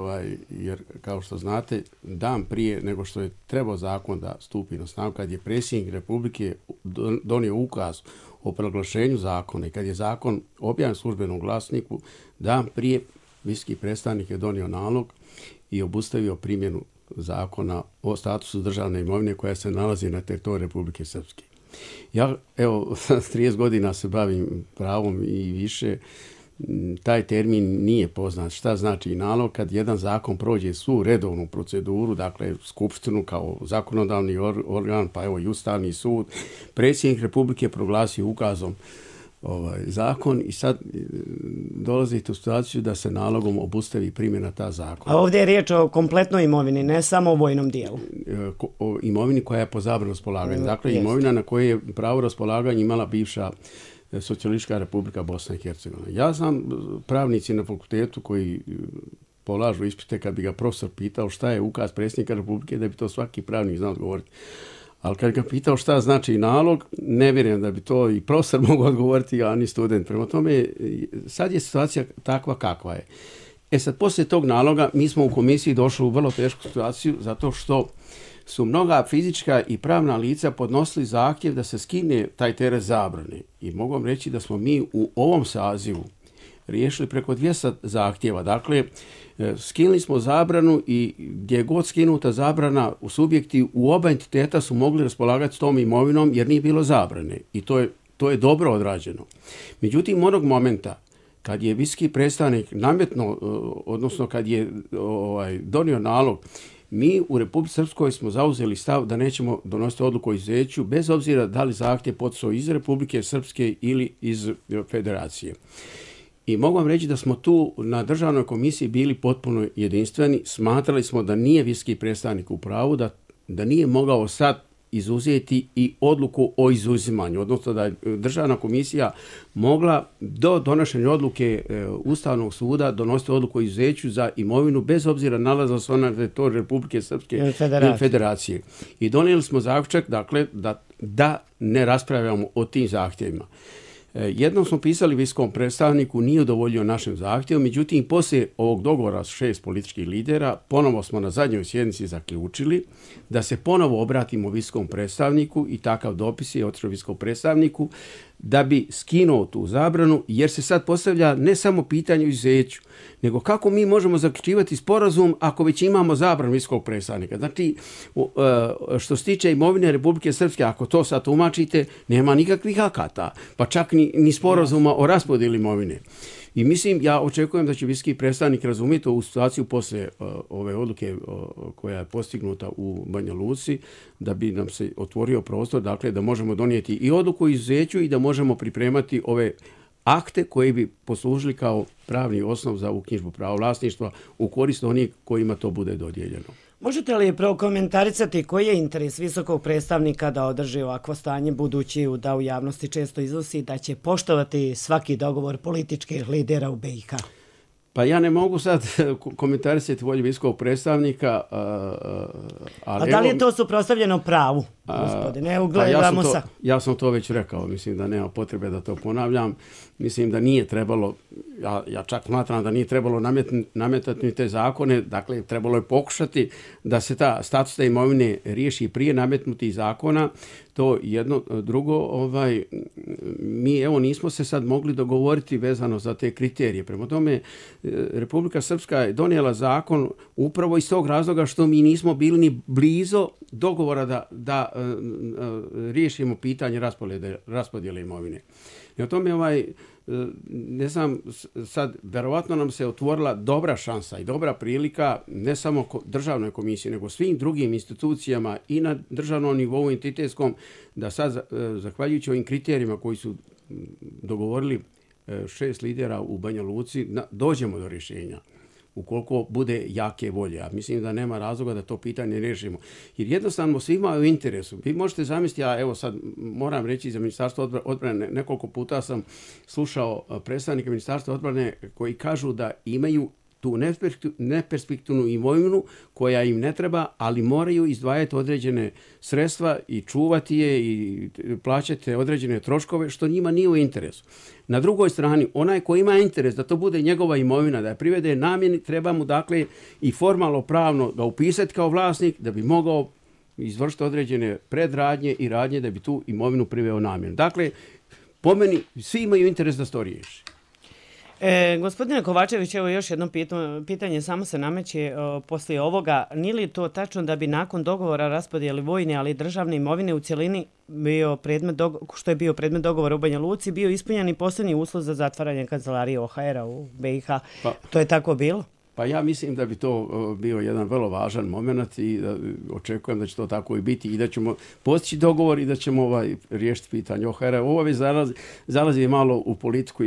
jer kao što znate, dan prije nego što je trebao zakon da stupi na snagu, kad je predsjednik Republike donio ukaz o proglašenju zakona i kad je zakon objavljen u službenom glasniku, dan prije visoki predstavnik je donio nalog i obustavio primjenu zakona o statusu državne imovine koja se nalazi na teritoriju Republike Srpske. Ja, evo, 30 godina se bavim pravom i više, taj termin nije poznat. Šta znači nalog kad jedan zakon prođe svu redovnu proceduru, dakle skupštinu kao zakonodavni organ, pa evo i Ustavni sud, predsjednik Republike proglasio ukazom zakon i sad dolazite u situaciju da se nalogom obustavi primjena ta zakona. A ovdje je riječ o kompletnoj imovini, ne samo o vojnom dijelu. O imovini koja je po zabrani raspolaganja. Dakle, imovina na kojoj je pravo raspolaganja imala bivša Socijalistička Republika Bosna i Hercegovina. Ja sam pravnici na fakultetu koji polažu ispite, kad bi ga profesor pitao šta je ukaz predsjednika Republike, da bi to svaki pravnik znao odgovoriti. Ali kad ga pitao šta znači nalog, ne vjerujem da bi to i profesor mogu odgovoriti, a ni student. Prema tome, sad je situacija takva kakva je. Sad, poslije tog naloga, mi smo u komisiji došli u vrlo tešku situaciju, zato što su mnoga fizička i pravna lica podnosili zahtjev da se skine taj teret zabrane. I mogu vam reći da smo mi u ovom sazivu riješili preko 200 zahtjeva. Dakle, skinuli smo zabranu i gdje je god skinuta zabrana, u subjekti u oba entiteta su mogli raspolagati s tom imovinom jer nije bilo zabrane. I to je dobro odrađeno. Međutim, onog momenta kad je visoki predstavnik nametno, odnosno kad je donio nalog, mi u Republici Srpskoj smo zauzeli stav da nećemo donositi odluku o izuzeću bez obzira da li zahtjev poticao iz Republike Srpske ili iz Federacije. I mogu vam reći da smo tu na državnoj komisiji bili potpuno jedinstveni. Smatrali smo da nije visoki predstavnik u pravu, da nije mogao sad izuzeti i odluku o izuzimanju, odnosno da je državna komisija mogla do donošenja odluke Ustavnog suda donositi odluku o izuzeću za imovinu bez obzira nalazila se ona na teritoriju Republike Srpske i Federacije. I donijeli smo zaključak, dakle, da ne raspravljamo o tim zahtjevima. Jednom smo pisali visokom predstavniku, nije udovoljio našem zahtjevu, međutim, poslije ovog dogovora s 6 političkih lidera, ponovo smo na zadnjoj sjednici zaključili da se ponovo obratimo visokom predstavniku i takav dopis je otišao visokom predstavniku da bi skinuo tu zabranu, jer se sad postavlja ne samo pitanje o izuzeću, nego kako mi možemo zaključivati sporazum ako već imamo zabranu visokog predstavnika. Znači, što se tiče imovine Republike Srpske, ako to sad tumačite, nema nikakvih akata, pa čak ni sporazuma o raspodjeli imovine. I mislim, ja očekujem da će visoki predstavnik razumjeti ovu situaciju poslije ove odluke koja je postignuta u Banja Luci, da bi nam se otvorio prostor, dakle da možemo donijeti i odluku o izuzeću i da možemo pripremati ove akte koji bi poslužili kao pravni osnov za uknjižbu prava vlasništva u korist onih kojima to bude dodijeljeno. Možete li prokomentarisati koji je interes visokog predstavnika da održi ovakvo stanje, budući da u javnosti često iznosi da će poštovati svaki dogovor političkih lidera u BiH? Pa ja ne mogu sad komentarisati volju visokog predstavnika. A da li je to suprotstavljeno pravu, gospodine? Evo, gledamo sa... Ja sam to već rekao, mislim da nema potrebe da to ponavljam. Mislim da nije trebalo, ja čak smatram da nije trebalo nametati te zakone, dakle trebalo je pokušati da se ta status te imovine riješi prije nametnutih zakona. To jedno, drugo, mi evo nismo se sad mogli dogovoriti vezano za te kriterije. Prema tome, Republika Srpska je donijela zakon upravo iz tog razloga što mi nismo bili ni blizu dogovora da riješimo pitanje raspodjele imovine. I o tome ne znam, sad verovatno nam se otvorila dobra šansa i dobra prilika ne samo državnoj komisiji, nego svim drugim institucijama i na državnom nivou entitetskom, da sad, zahvaljujući ovim kriterijima koji su dogovorili 6 lidera u Banja Luci, dođemo do rješenja. Ukoliko bude jake volje. A mislim da nema razloga da to pitanje riješimo. Jer jednostavno svima je u interesu. Vi možete zamisliti, a evo sad moram reći za Ministarstvo odbrane, nekoliko puta sam slušao predstavnike Ministarstva odbrane koji kažu da imaju tu neperspektivnu imovinu koja im ne treba, ali moraju izdvajati određene sredstva i čuvati je i plaćati određene troškove, što njima nije u interesu. Na drugoj strani, onaj koji ima interes da to bude njegova imovina, da je privede namjeni, treba mu dakle i formalno pravno ga upisati kao vlasnik da bi mogao izvršiti određene predradnje i radnje da bi tu imovinu priveo namjenu. Dakle, po meni, svi imaju interes da se to riješi. Gospodine Kovačević, evo još jedno pitanje samo se nameće poslije ovoga. Nije li to tačno da bi nakon dogovora raspodijeli vojne, ali i državne imovine u cjelini što je bio predmet dogovora u Banja Luci, bio ispunjen i posljednji uslov za zatvaranje kancelarije OHR-a u BiH? To je tako bilo? Pa ja mislim da bi to bio jedan vrlo važan moment i očekujem da će to tako i biti i da ćemo postići dogovor i da ćemo riješiti pitanje OHR-a. Ovo zalazi malo u politiku,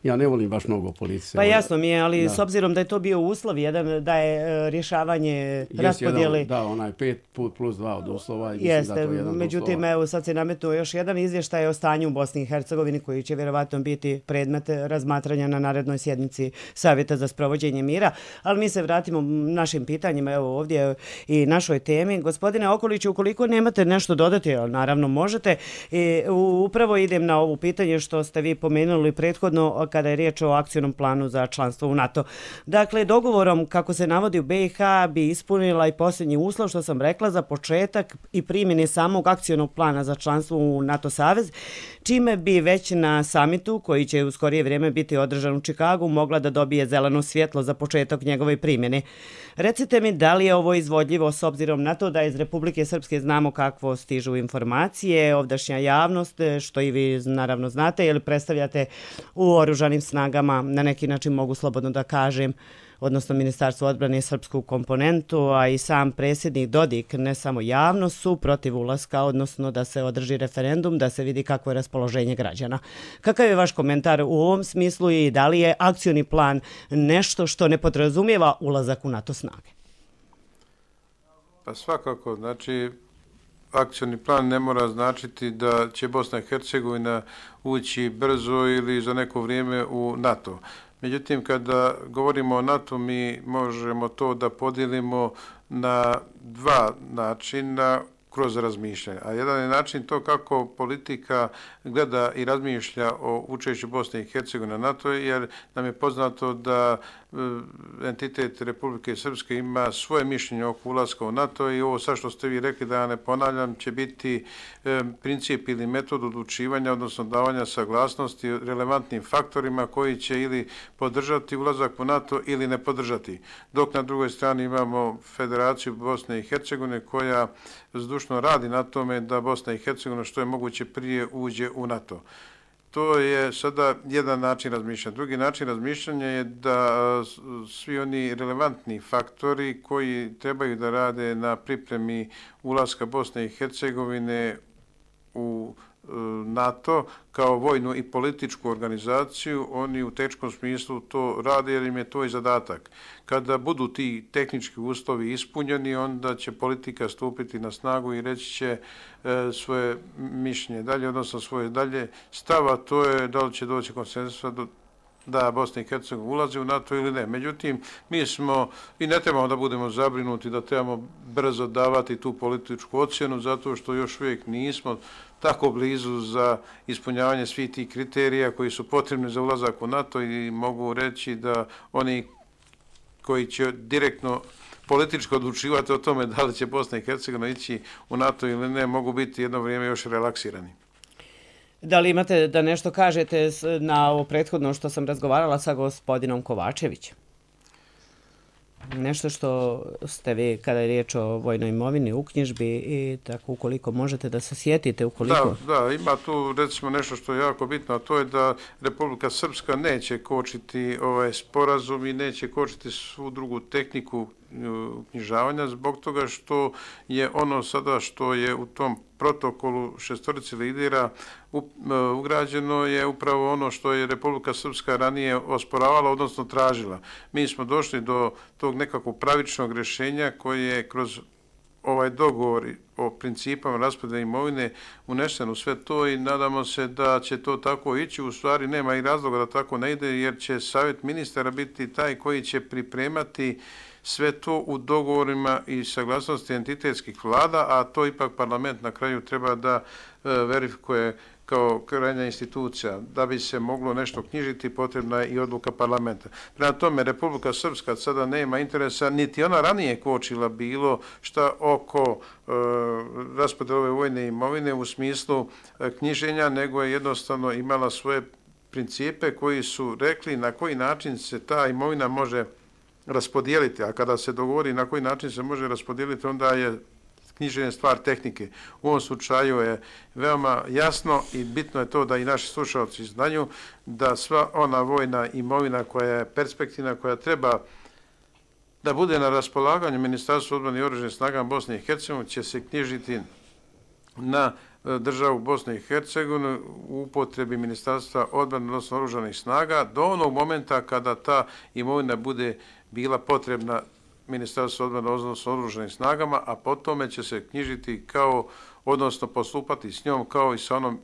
ja ne volim baš mnogo politike. Pa jasno mi je, ali s obzirom da je to bio uslov jedan, da je rješavanje raspodjele... Da, onaj 5 plus 2 od uslova. Jeste, međutim, evo sad se nametnuo još jedan izvještaj o stanju u Bosni i Hercegovini koji će vjerovatno biti predmet razmatranja na narednoj sjednici Savjeta za sprovođenje mira. Ali mi se vratimo našim pitanjima, evo ovdje i našoj temi. Gospodine Okoliću, ukoliko nemate nešto dodati, naravno možete, upravo idem na ovo pitanje što ste vi pomenuli prethodno kada je riječ o akcionom planu za članstvo u NATO. Dakle, dogovorom, kako se navodi u BiH, bi ispunila i posljednji uslov, što sam rekla, za početak i primjene samog akcionog plana za članstvo u NATO savez, čime bi već na samitu, koji će u skorije vrijeme biti održan u Čikagu, mogla da dobije zeleno svjetlo za početak njegove primjene. Recite mi, da li je ovo izvodljivo s obzirom na to da iz Republike Srpske znamo kakvo stižu informacije, ovdašnja javnost, što i vi naravno znate, ili predstavljate u oružanim snagama, na neki način mogu slobodno da kažem, odnosno Ministarstvo odbrane i srpsku komponentu, a i sam predsjednik Dodik, ne samo javnost, su protiv ulaska, odnosno da se održi referendum, da se vidi kakvo je raspoloženje građana. Kakav je vaš komentar u ovom smislu i da li je akcioni plan nešto što ne podrazumijeva ulazak u NATO snage? Pa svakako, znači akcioni plan ne mora značiti da će Bosna i Hercegovina ući brzo ili za neko vrijeme u NATO. Međutim, kada govorimo o NATO, mi možemo to da podijelimo na dva načina kroz razmišljanje. A jedan je način to kako politika gleda i razmišlja o učešću Bosne i Hercegovine na NATO, jer nam je poznato da entitet Republike Srpske ima svoje mišljenje oko ulaska u NATO i ovo sad što ste vi rekli, da ja ne ponavljam, će biti princip ili metod odlučivanja, odnosno davanja saglasnosti relevantnim faktorima koji će ili podržati ulazak u NATO ili ne podržati. Dok na drugoj strani imamo Federaciju Bosne i Hercegovine koja zdušno radi na tome da Bosna i Hercegovina što je moguće prije uđe u NATO. To je sada jedan način razmišljanja. Drugi način razmišljanja je da svi oni relevantni faktori koji trebaju da rade na pripremi ulaska Bosne i Hercegovine u NATO kao vojnu i političku organizaciju, oni u tehničkom smislu to rade jer im je to i zadatak. Kada budu ti tehnički uslovi ispunjeni, onda će politika stupiti na snagu i reći će svoje mišljenje dalje, odnosno svoje dalje stava, to je da li će doći konsenzusa da Bosna i Hercegovina ulazi u NATO ili ne. Međutim, mi smo i ne trebamo da budemo zabrinuti da trebamo brzo davati tu političku ocjenu zato što još uvijek nismo tako blizu za ispunjavanje svih tih kriterija koji su potrebni za ulazak u NATO i mogu reći da oni koji će direktno politički odlučivati o tome da li će Bosna i Hercegovina ići u NATO ili ne, mogu biti jedno vrijeme još relaksirani. Da li imate da nešto kažete na ovo prethodno što sam razgovarala sa gospodinom Kovačevićem? nešto što ste vi, kada je riječ o vojnoj imovini, uknjižbi i tako, ukoliko možete da se sjetite, ukoliko... Da, ima tu recimo nešto što je jako bitno, a to je da Republika Srpska neće kočiti ovaj sporazum i neće kočiti svu drugu tehniku uknjižavanja zbog toga što je ono sada što je u tom protokolu šestorici lidera ugrađeno je upravo ono što je Republika Srpska ranije osporavala, odnosno tražila. Mi smo došli do tog nekakvog pravičnog rješenja koje je kroz ovaj dogovor o principama raspodjele imovine unesen u sve to i nadamo se da će to tako ići. U stvari nema i razloga da tako ne ide jer će savjet ministara biti taj koji će pripremati sve to u dogovorima i saglasnosti entitetskih vlada, a to ipak parlament na kraju treba da verifikuje kao krajnja institucija. Da bi se moglo nešto knjižiti, potrebna je i odluka parlamenta. Prema tome, Republika Srpska sada nema interesa, niti ona ranije kočila bilo šta oko raspodjele ove vojne imovine u smislu knjiženja, nego je jednostavno imala svoje principe koji su rekli na koji način se ta imovina može raspodijeliti, a kada se dogovori na koji način se može raspodijeliti, onda je knjiženje stvar tehnike. U ovom slučaju je veoma jasno i bitno je to da i naši slušalci znaju da sva ona vojna imovina koja je perspektivna, koja treba da bude na raspolaganju Ministarstva odbrane i oružanih snaga Bosne i Hercegovine će se knjižiti na državu Bosne i Hercegovine u upotrebi Ministarstva odbrane odnosno oružanih snaga do onog momenta kada ta imovina bude bila potrebna Ministarstvo odbrane odnosno oružanim snagama, a potom će se knjižiti kao, odnosno postupati s njom kao i sa onom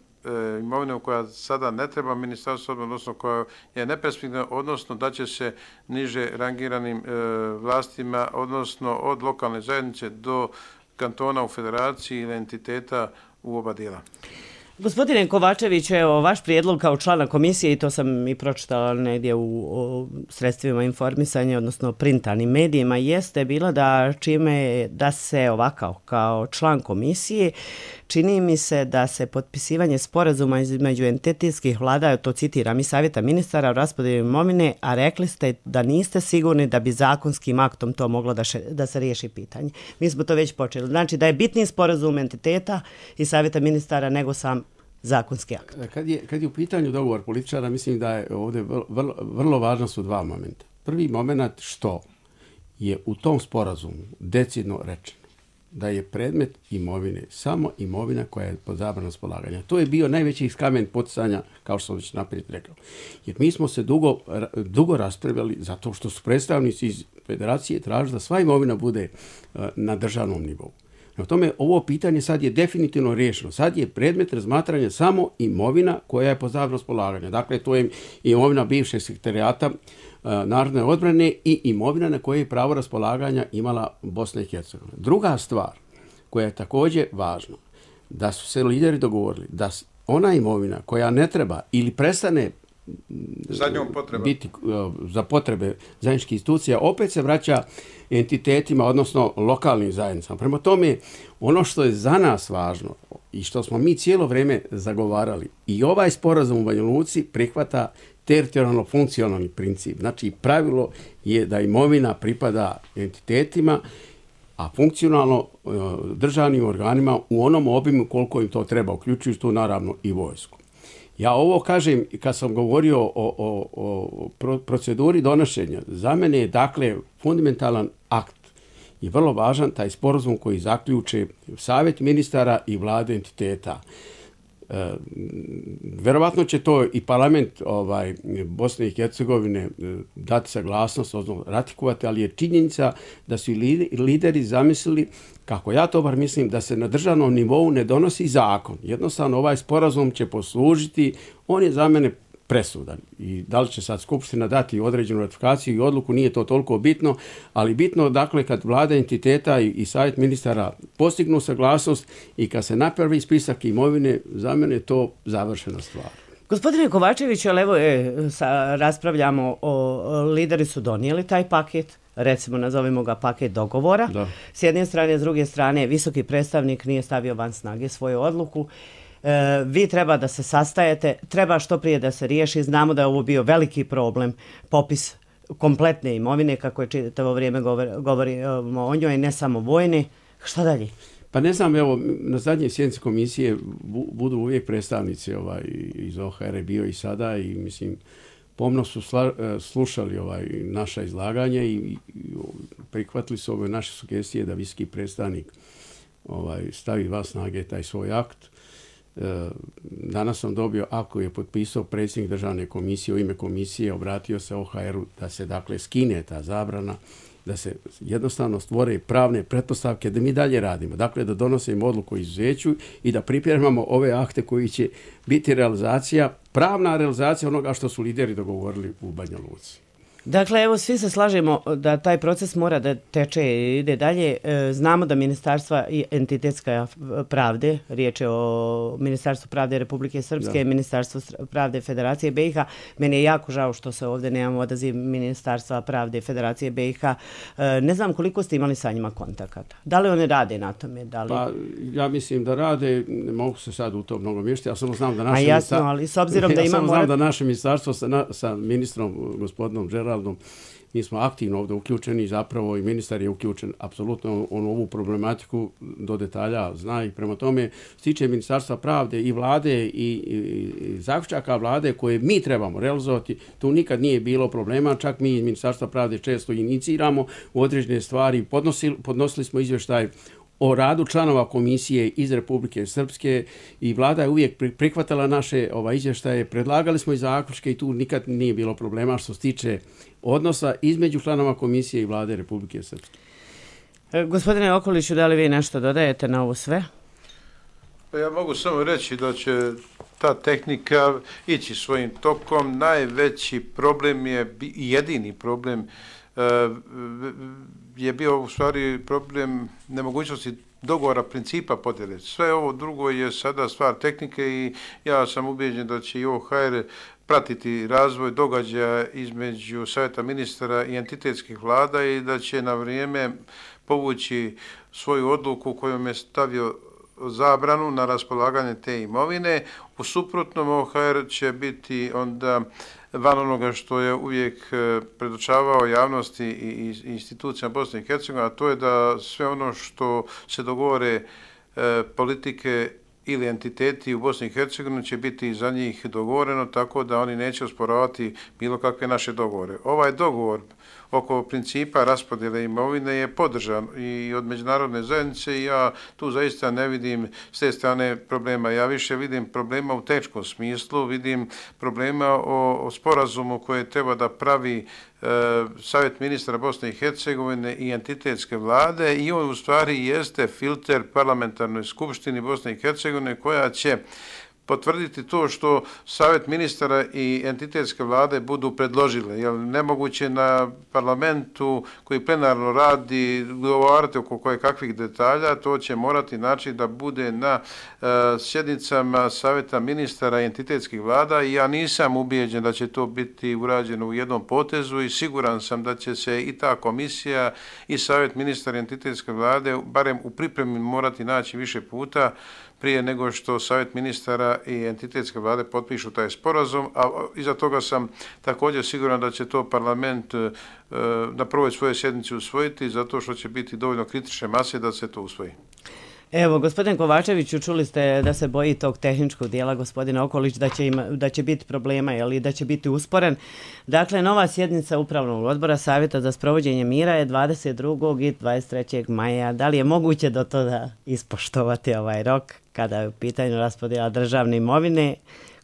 imovinom koja sada ne treba Ministarstvo odbrane, odnosno koja je neperspektivna, odnosno da će se niže rangiranim vlastima, odnosno od lokalne zajednice do kantona u federaciji ili entiteta u oba dijela. Gospodine Kovačević, evo, vaš prijedlog kao člana komisije, i to sam i pročitala negdje u sredstvima informisanja, odnosno printanim medijima, jeste bila da se ovako, kao član komisije, čini mi se da se potpisivanje sporazuma između entitetskih vlada, to citiram, i savjeta ministara o raspodjeli imovine, a rekli ste da niste sigurni da bi zakonskim aktom to moglo da se riješi pitanje. Mi smo to već počeli. Znači da je bitniji sporazum entiteta i savjeta ministara nego sam zakonski akt. Kad je u pitanju dogovor političara, mislim da je ovdje vrlo važno su dva momenta. Prvi moment što je u tom sporazumu decidno rečeno da je predmet imovine samo imovina koja je pod zabranom raspolaganja. To je bio najveći kamen poticanja, kao što sam već naprijed rekao. Jer mi smo se dugo raspravljali zato što su predstavnici iz federacije tražili da sva imovina bude na državnom nivou. Na tome ovo pitanje sad je definitivno riješeno. Sad je predmet razmatranja samo imovina koja je pod zabranom raspolaganja. Dakle, to je imovina bivšeg sekretarijata narodne odbrane i imovina na koje je pravo raspolaganja imala Bosna i Hercegovina. Druga stvar koja je također važna, da su se lideri dogovorili da ona imovina koja ne treba ili prestane biti za potrebe zajedničkih institucija, opet se vraća entitetima, odnosno lokalnim zajednicama. Prema tome, ono što je za nas važno i što smo mi cijelo vrijeme zagovarali, i ovaj sporazum u Banja Luci prihvata teritorijalno-funkcionalni princip. Znači, pravilo je da imovina pripada entitetima, a funkcionalno državnim organima u onom obimu koliko im to treba, uključujući tu naravno i vojsku. Ja ovo kažem kad sam govorio o proceduri donošenja. Za mene je dakle fundamentalan akt i vrlo važan taj sporazum koji zaključe savjet ministara i vlade entiteta. Verovatno će to i parlament Bosne i Hercegovine dati saglasnost, odnosno ratifikovati, ali je činjenica da su i lideri zamislili, kako ja to bar mislim, da se na državnom nivou ne donosi zakon. Jednostavno ovaj sporazum će poslužiti, on je za mene presudan. I da li će sad Skupština dati određenu ratifikaciju i odluku, nije to toliko bitno, ali bitno, dakle, kad vlada entiteta i savjet ministara postignu saglasnost i kad se napravi spisak imovine, za mene je to završena stvar. Gospodine Kovačević, ali evo raspravljamo lideri su donijeli taj paket, recimo nazovimo ga paket dogovora. Da. S jedne strane, s druge strane, visoki predstavnik nije stavio van snage svoju odluku. Vi treba da se sastajete, treba što prije da se riješi. Znamo da je ovo bio veliki problem, popis kompletne imovine, kako je čitavo vrijeme govorimo o njoj, ne samo vojne. Šta dalje? Pa ne znam, evo, na zadnje sjednice komisije budu uvijek predstavnici iz OHR bio i sada i mislim, pomno su slušali naša izlaganja i prihvatili su ove naše sugestije da visoki predstavnik stavi van snage taj svoj akt. Danas sam dobio, ako je potpisao predsjednik državne komisije u ime komisije, obratio se OHR-u da se dakle skine ta zabrana, da se jednostavno stvore pravne pretpostavke da mi dalje radimo. Dakle, da donosimo odluku o izuzeću i da pripremamo ove akte koji će biti realizacija, pravna realizacija onoga što su lideri dogovorili u Banja Luci. Dakle, evo, svi se slažemo da taj proces mora da teče i ide dalje. Znamo da Ministarstva i entitetska pravde, riječ je o Ministarstvu pravde Republike Srpske, Ministarstvo pravde Federacije BiH. Meni je jako žao što se ovdje nemamo odaziv Ministarstva pravde Federacije BiH. Ne znam koliko ste imali sa njima kontakata. Da li oni rade na tome? Pa, ja mislim da rade, ne mogu se sad u to mnogo miješati, ja samo znam da naše naše ministarstvo sa ministrom, gospodinom Geraldom, mi smo aktivno ovdje uključeni, zapravo i ministar je uključen apsolutno u ovu problematiku do detalja zna i prema tome se tiče Ministarstva pravde i vlade i zaključaka vlade koje mi trebamo realizovati, tu nikad nije bilo problema, čak mi iz Ministarstva pravde često iniciramo u određene stvari, podnosili smo izvještaj o radu članova komisije iz Republike Srpske i vlada je uvijek prihvatala naše izvještaje, predlagali smo i zaključke i tu nikad nije bilo problema što se tiče odnosa između članova komisije i vlade Republike Srpske. Gospodine Okoliću, da li vi nešto dodajete na ovo sve? Pa ja mogu samo reći da će ta tehnika ići svojim tokom. Najveći problem je, jedini problem je bio u stvari problem nemogućnosti dogovora principa podjele. Sve ovo drugo je sada stvar tehnike i ja sam ubijeđen da će i OHR pratiti razvoj događaja između Savjeta ministara i entitetskih vlada i da će na vrijeme povući svoju odluku kojom je stavio zabranu na raspolaganje te imovine. U suprotnom OHR će biti onda van onoga što je uvijek predočavao javnosti i institucijama Bosne i Hercegovine, a to je da sve ono što se dogovore politike ili entiteti u Bosni i Hercegovini će biti za njih dogovoreno, tako da oni neće osporavati bilo kakve naše dogovore. Ovaj dogovor oko principa raspodjele imovine je podržan i od međunarodne zajednice i ja tu zaista ne vidim s te strane problema. Ja više vidim problema u tehničkom smislu, vidim problema o sporazumu koje treba da pravi Savjet ministara Bosne i Hercegovine i entitetske vlade i on u stvari jeste filter parlamentarnoj skupštini Bosne i Hercegovine koja će potvrditi to što Savjet ministara i entitetske vlade budu predložile. Jer nemoguće na parlamentu koji plenarno radi govoriti oko koje kakvih detalja, to će morati znači da bude na sjednicama Savjeta ministara i entitetskih vlada i ja nisam ubijeđen da će to biti urađeno u jednom potezu i siguran sam da će se i ta komisija i Savjet ministara i entitetske vlade barem u pripremi morati naći više puta prije nego što Savjet ministara i entitetske vlade potpišu taj sporazum, a iza toga sam također siguran da će to parlament na prvoj svojoj sjednici usvojiti, zato što će biti dovoljno kritične mase da se to usvoji. Evo, gospodin Kovačeviću, čuli ste da se boji tog tehničkog dijela, gospodin Okolić, da će biti problema ili da će biti usporen. Dakle, nova sjednica Upravnog odbora Savjeta za sprovođenje mira je 22. i 23. maja. Da li je moguće do toga ispoštovati ovaj rok kada je u pitanju raspodjela državne imovine,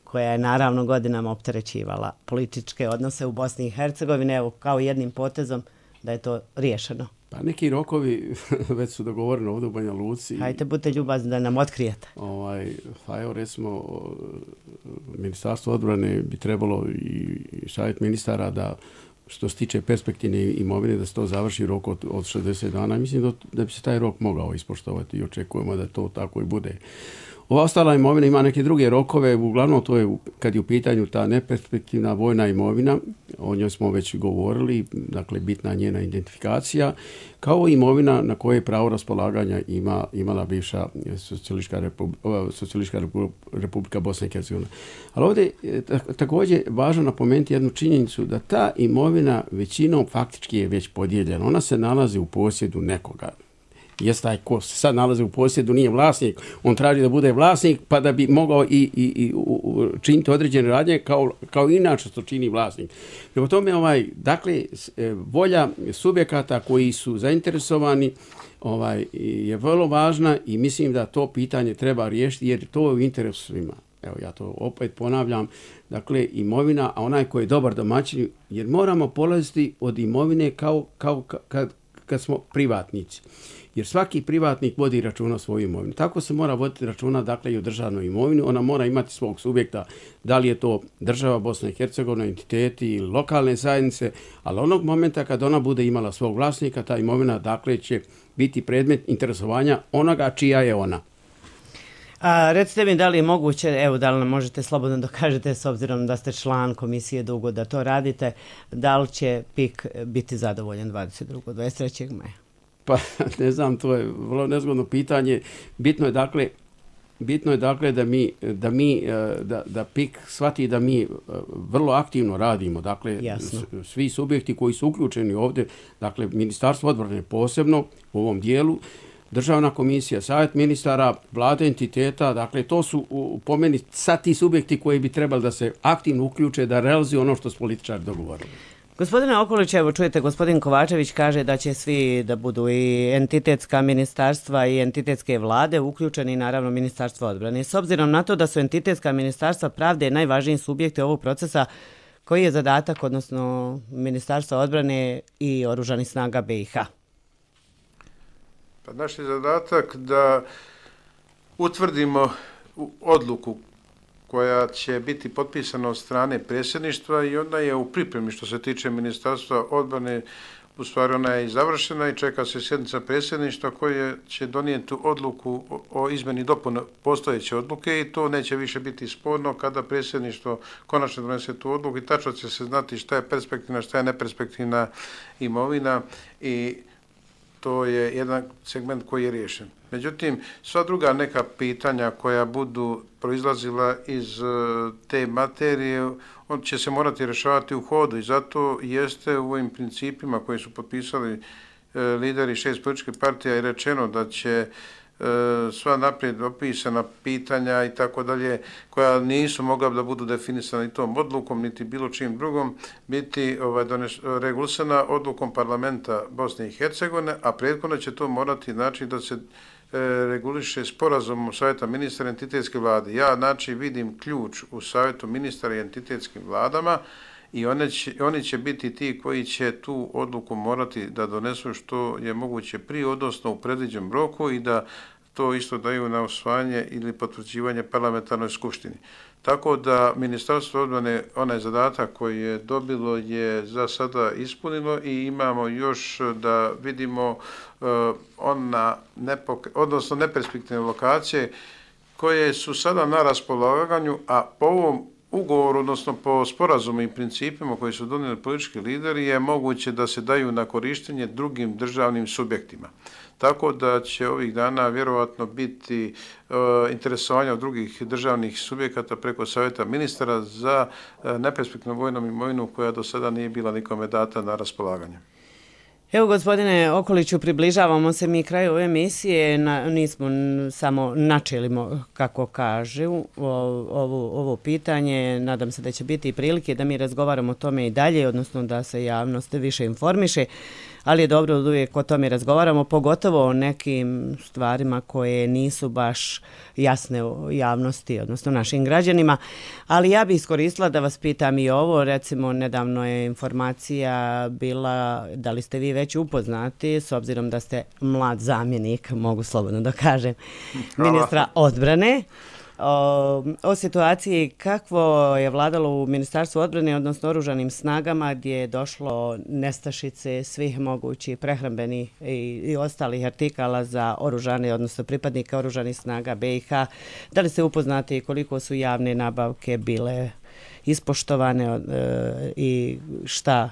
koja je naravno godinama opterećivala političke odnose u Bosni i Hercegovini, evo kao jednim potezom da je to riješeno? Pa neki rokovi već su dogovoreni ovdje u Banja Luci. Hajde, budite ljubazni da nam otkrijete. Pa evo recimo, Ministarstvo odbrane bi trebalo i Savjet ministara da što se tiče perspektivne imovine da se to završi rok od 60 dana. Mislim da bi se taj rok mogao ispoštovati i očekujemo da to tako i bude. Ova ostala imovina ima neke druge rokove, uglavnom to je kad je u pitanju ta neperspektivna vojna imovina, o njoj smo već govorili, dakle bitna njena identifikacija, kao i imovina na koje pravo raspolaganja imala bivša Socijalistička republika Bosna i Hercegovina. Ali ovdje također važno napomenuti jednu činjenicu da ta imovina većinom faktički je već podijeljena. Ona se nalazi u posjedu nekoga. Jest taj ko se sad nalazi u posjedu nije vlasnik, on traži da bude vlasnik pa da bi mogao i činiti određene radnje kao inače što čini vlasnik. Prema tome, dakle, volja subjekata koji su zainteresovani je vrlo važna i mislim da to pitanje treba riješiti jer to je u interesu svima. Evo, ja to opet ponavljam, dakle, imovina, a onaj koji je dobar domaćin, jer moramo polaziti od imovine kao kad smo privatnici. Jer svaki privatnik vodi računa o svojoj imovini. Tako se mora voditi računa, dakle, i o državnoj imovini. Ona mora imati svog subjekta, da li je to država Bosna i Hercegovina, entiteti ili lokalne zajednice, ali onog momenta kad ona bude imala svog vlasnika, ta imovina, dakle, će biti predmet interesovanja onoga čija je ona. Recite mi da li je moguće, evo da li nam možete slobodno dokažete s obzirom da ste član komisije dugo da to radite, da li će PIK biti zadovoljan 22. 23. maja? Pa ne znam, to je vrlo nezgodno pitanje. Bitno je dakle da PIK shvati da mi vrlo aktivno radimo. Dakle, svi subjekti koji su uključeni ovdje, dakle Ministarstvo odbrane posebno u ovom dijelu, Državna komisija, Savjet ministara, vlade entiteta, dakle to su po meni sad ti subjekti koji bi trebali da se aktivno uključe da realizuju ono što su političari dogovorili. Gospodine Okolić, evo čujete, gospodin Kovačević kaže da će svi da budu i entitetska ministarstva i entitetske vlade uključeni, naravno Ministarstvo odbrane. S obzirom na to da su entitetska ministarstva pravde najvažniji subjekti ovog procesa, koji je zadatak, odnosno Ministarstva odbrane i Oružanih snaga BiH? Pa naš je zadatak da utvrdimo odluku koja će biti potpisana od strane predsjedništva i ona je u pripremi što se tiče Ministarstva odbrane. U stvari ona je i završena i čeka se sjednica predsjedništva koje će donijeti odluku o izmjeni dopune postojeće odluke i to neće više biti sporno kada predsjedništvo konačno donese tu odluku i tačno će se znati šta je perspektivna, šta je neperspektivna imovina i to je jedan segment koji je riješen. Međutim, sva druga neka pitanja koja budu proizlazila iz te materije, on će se morati rješavati u hodu i zato jeste u ovim principima koji su potpisali lideri 6 političkih partija i rečeno da će sva naprijed opisana pitanja i tako dalje, koja nisu mogla da budu definisana ni tom odlukom, niti bilo čim drugom, biti regulisana odlukom parlamenta Bosne i Hercegovine, a prethodno će to morati znači da se reguliše sporazumom Savjeta ministara i entitetske vlade. Ja znači vidim ključ u Savjetu ministara i entitetskim vladama i oni će biti ti koji će tu odluku morati da donesu što je moguće prije, odnosno u predviđenom roku i da to isto daju na usvajanje ili potvrđivanje parlamentarnoj skupštini. Tako da Ministarstvo odbrane onaj zadatak koji je dobilo je za sada ispunilo i imamo još da vidimo odnosno neperspektivne lokacije koje su sada na raspolaganju, a po ovom ugovoru, odnosno po sporazumu i principima koji su donijeli politički lideri je moguće da se daju na korištenje drugim državnim subjektima. Tako da će ovih dana vjerovatno biti interesovanja od drugih državnih subjekata preko Savjeta ministara za neperspektivnu vojnom imovinu koja do sada nije bila nikome data na raspolaganje. Evo, gospodine Okoliću, približavamo se mi kraju ove emisije, nismo samo načelimo, kako kažu, ovo pitanje. Nadam se da će biti i prilike da mi razgovaramo o tome i dalje, odnosno da se javnost više informiše, ali je dobro da uvijek o tome razgovaramo, pogotovo o nekim stvarima koje nisu baš jasne u javnosti, odnosno našim građanima. Ali ja bih iskoristila da vas pitam i ovo, recimo nedavno je informacija bila, da li ste vi već upoznati, s obzirom da ste mlad zamjenik, mogu slobodno da kažem, ministra odbrane, o situaciji kakvo je vladalo u Ministarstvu odbrane, odnosno oružanim snagama, gdje je došlo nestašice svih mogućih prehrambenih i ostalih artikala za oružane, odnosno pripadnika oružanih snaga BiH. Da li ste upoznati koliko su javne nabavke bile ispoštovane i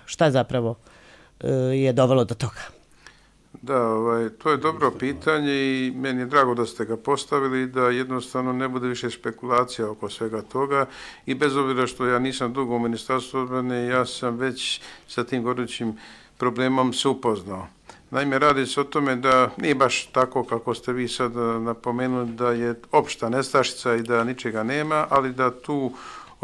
šta zapravo je dovelo do toga? Da, to je dobro pitanje i meni je drago da ste ga postavili, da jednostavno ne bude više spekulacija oko svega toga i bez obzira što ja nisam dugo u Ministarstvu odbrane, ja sam već sa tim gorućim problemom se upoznao. Naime, radi se o tome da nije baš tako kako ste vi sad napomenuli da je opšta nestašica i da ničega nema, ali da tu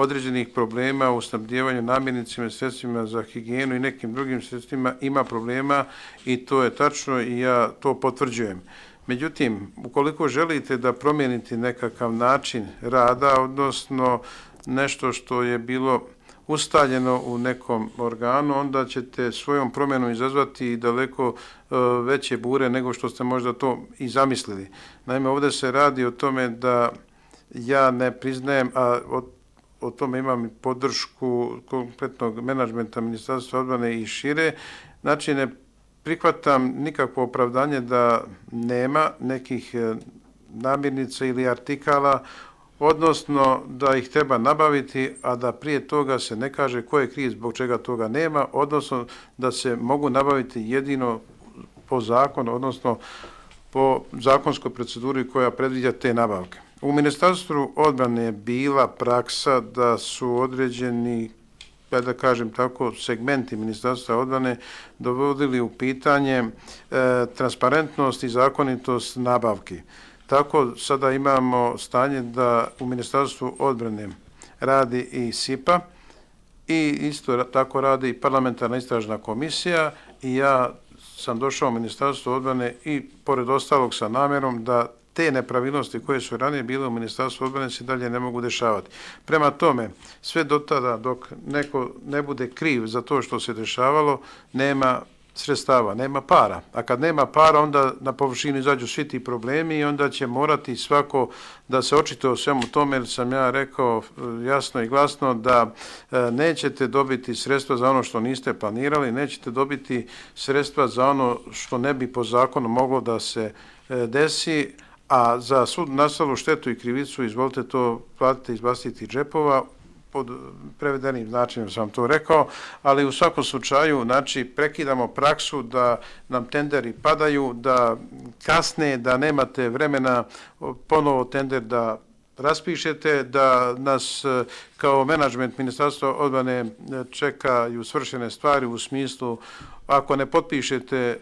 određenih problema u snabdijevanju namirnicima, sredstvima za higijenu i nekim drugim sredstvima ima problema i to je tačno i ja to potvrđujem. Međutim, ukoliko želite da promijenite nekakav način rada, odnosno nešto što je bilo ustaljeno u nekom organu, onda ćete svojom promjenom izazvati daleko veće bure nego što ste možda to i zamislili. Naime, ovdje se radi o tome da ja ne priznajem, a o tome imam i podršku kompletnog menadžmenta Ministarstva odbrane i šire. Znači, ne prihvatam nikakvo opravdanje da nema nekih namirnica ili artikala, odnosno da ih treba nabaviti, a da prije toga se ne kaže ko je kriv zbog čega toga nema, odnosno da se mogu nabaviti jedino po zakonu, odnosno po zakonskoj proceduri koja predviđa te nabavke. U Ministarstvu odbrane je bila praksa da su određeni, da kažem tako, segmenti Ministarstva odbrane dovodili u pitanje transparentnost i zakonitost nabavki. Tako sada imamo stanje da u Ministarstvu odbrane radi i SIPA i isto tako radi i parlamentarna istražna komisija i ja sam došao u Ministarstvo odbrane i pored ostalog sa namjerom da te nepravilnosti koje su ranije bile u Ministarstvu odbrane se dalje ne mogu dešavati. Prema tome, sve do tada dok neko ne bude kriv za to što se dešavalo, nema sredstava, nema para. A kad nema para, onda na površinu izađu svi ti problemi i onda će morati svako da se očituje o svemu tome, jer sam ja rekao jasno i glasno da nećete dobiti sredstva za ono što niste planirali, nećete dobiti sredstva za ono što ne bi po zakonu moglo da se desi, a za svu nastalu štetu i krivicu izvolite to platiti iz vlastitih džepova, pod prevedenim značenjem sam to rekao, ali u svakom slučaju, znači, prekidamo praksu da nam tenderi padaju, da kasne, da nemate vremena ponovo tender da raspišete, da nas kao menadžment Ministarstva odbrane čekaju svršene stvari u smislu ako ne potpišete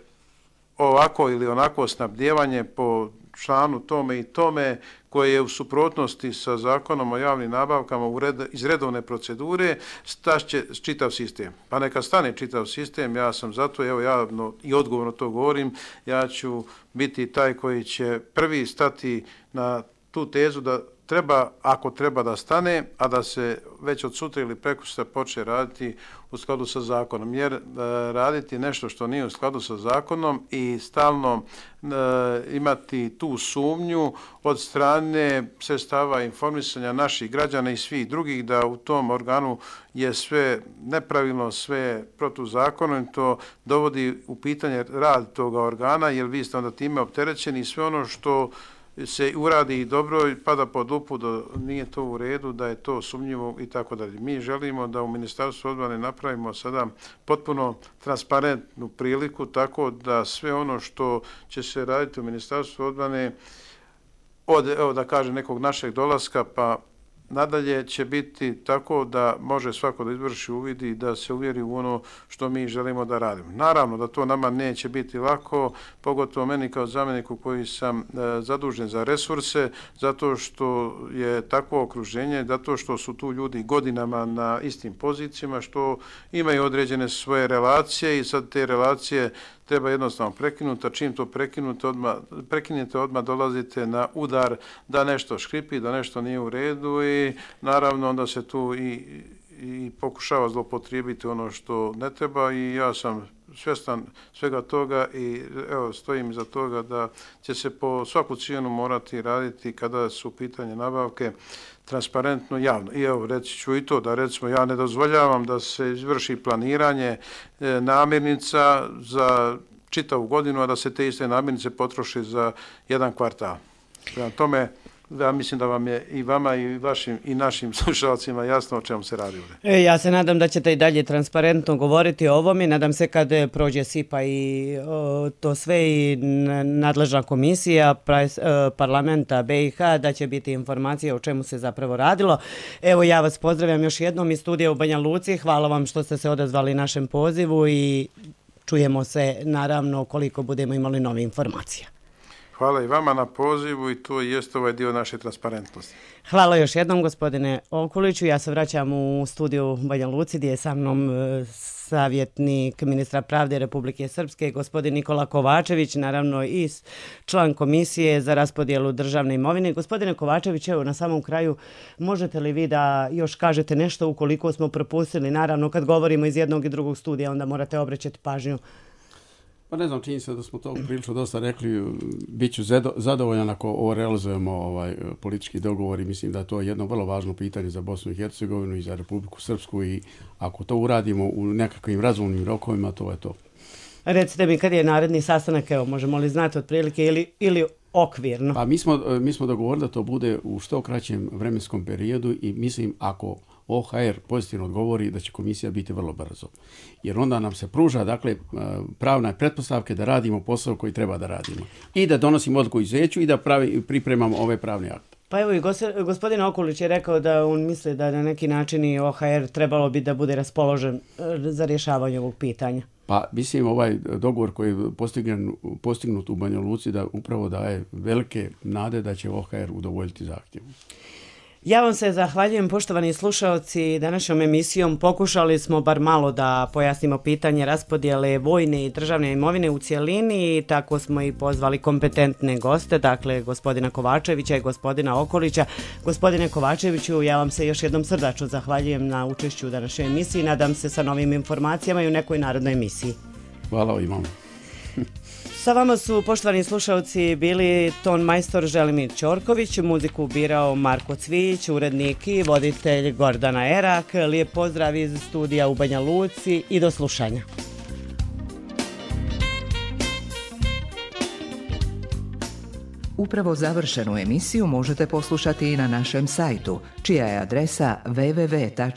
ovako ili onako snabdijevanje po članu tome i tome koje je u suprotnosti sa zakonom o javnim nabavkama iz redovne procedure, staće čitav sistem. Pa neka stane čitav sistem, ja sam zato, evo javno i odgovorno to govorim, ja ću biti taj koji će prvi stati na tu tezu da treba, ako treba da stane, a da se već od sutra ili prekosutra počne raditi u skladu sa zakonom. Jer raditi nešto što nije u skladu sa zakonom i stalno imati tu sumnju od strane sredstava informisanja naših građana i svih drugih da u tom organu je sve nepravilno, sve protuzakonito, dovodi u pitanje rad toga organa, jer vi ste onda time opterećeni i sve ono što se uradi i dobro i pada pod lupu da nije to u redu, da je to sumnjivo i tako dalje. Mi želimo da u Ministarstvu odbrane napravimo sada potpuno transparentnu priliku tako da sve ono što će se raditi u Ministarstvu odbrane od, evo da kažem, nekog našeg dolaska pa nadalje će biti tako da može svako da izvrši uvid i da se uvjeri u ono što mi želimo da radimo. Naravno da to nama neće biti lako, pogotovo meni kao zamjeniku koji sam zadužen za resurse, zato što je takvo okruženje, zato što su tu ljudi godinama na istim pozicijama, što imaju određene svoje relacije i sad te relacije treba jednostavno prekinuti, a čim to prekinete, odmah dolazite na udar da nešto škripi, da nešto nije u redu i naravno onda se tu i pokušava zloupotrijebiti ono što ne treba i ja sam svjestan svega toga i evo, stojim iza toga da će se po svaku cijenu morati raditi kada su pitanje nabavke transparentno, javno. I evo, reći ću i to da recimo ja ne dozvoljavam da se izvrši planiranje namirnica za čitavu godinu, a da se te iste namirnice potroši za jedan kvartal. Prema tome, ja mislim da vam je i vama i vašim i našim slušalcima jasno o čemu se radi ovdje. Ja se nadam da ćete i dalje transparentno govoriti o ovom i nadam se kad prođe SIPA i to sve i nadležna komisija parlamenta BiH da će biti informacija o čemu se zapravo radilo. Evo ja vas pozdravljam još jednom iz studija u Banja Luci. Hvala vam što ste se odazvali našem pozivu i čujemo se naravno koliko budemo imali nove informacije. Hvala i vama na pozivu i to jest ovaj dio naše transparentnosti. Hvala još jednom gospodine Okuliću. Ja se vraćam u studiju Banja Luci gdje je sa mnom savjetnik ministra pravde Republike Srpske, gospodin Nikola Kovačević, naravno i član komisije za raspodjelu državne imovine. Gospodine Kovačević, evo na samom kraju, možete li vi da još kažete nešto ukoliko smo propustili? Naravno, kad govorimo iz jednog i drugog studija, onda morate obraćati pažnju. Pa ne znam, čini se da smo to prilično dosta rekli, bit ću zadovoljan ako ovo realizujemo politički dogovor i mislim da je to jedno vrlo važno pitanje za Bosnu i Hercegovinu i za Republiku Srpsku i ako to uradimo u nekakvim razumnim rokovima, to je to. Recite mi kad je naredni sastanak, evo možemo li znati otprilike ili okvirno? Pa mi smo dogovorili da to bude u što kraćem vremenskom periodu i mislim ako OHR pozitivno odgovori da će komisija biti vrlo brzo. Jer onda nam se pruža, dakle, pravne pretpostavke da radimo posao koji treba da radimo. I da donosimo odluku izuzeću i da pripremamo ove pravne akte. Pa evo i gospodin Okulić je rekao da on misli da na neki način i OHR trebalo bi da bude raspoložen za rješavanje ovog pitanja. Pa mislim ovaj dogovor koji je postignut u Banja Luci da upravo daje velike nade da će OHR udovoljiti zahtjevu. Ja vam se zahvaljujem, poštovani slušaoci. Današnjom emisijom pokušali smo bar malo da pojasnimo pitanje raspodjele vojne i državne imovine u cijelini i tako smo i pozvali kompetentne goste, dakle gospodina Kovačevića i gospodina Okolića. Gospodine Kovačeviću, ja vam se još jednom srdačno zahvaljujem na učešću u današnjoj emisiji. Nadam se sa novim informacijama i u nekoj narodnoj emisiji. Hvala i vam. Sa vama su, poštovani slušalci, bili ton majstor Želimir Ćorković, muziku birao Marko Cvijić, urednik i voditelj Gordana Erak. Lijep pozdrav iz studija u Banja Luci i do slušanja. Upravo završenu emisiju možete poslušati i na našem sajtu, čija je adresa www.rtrs.tv.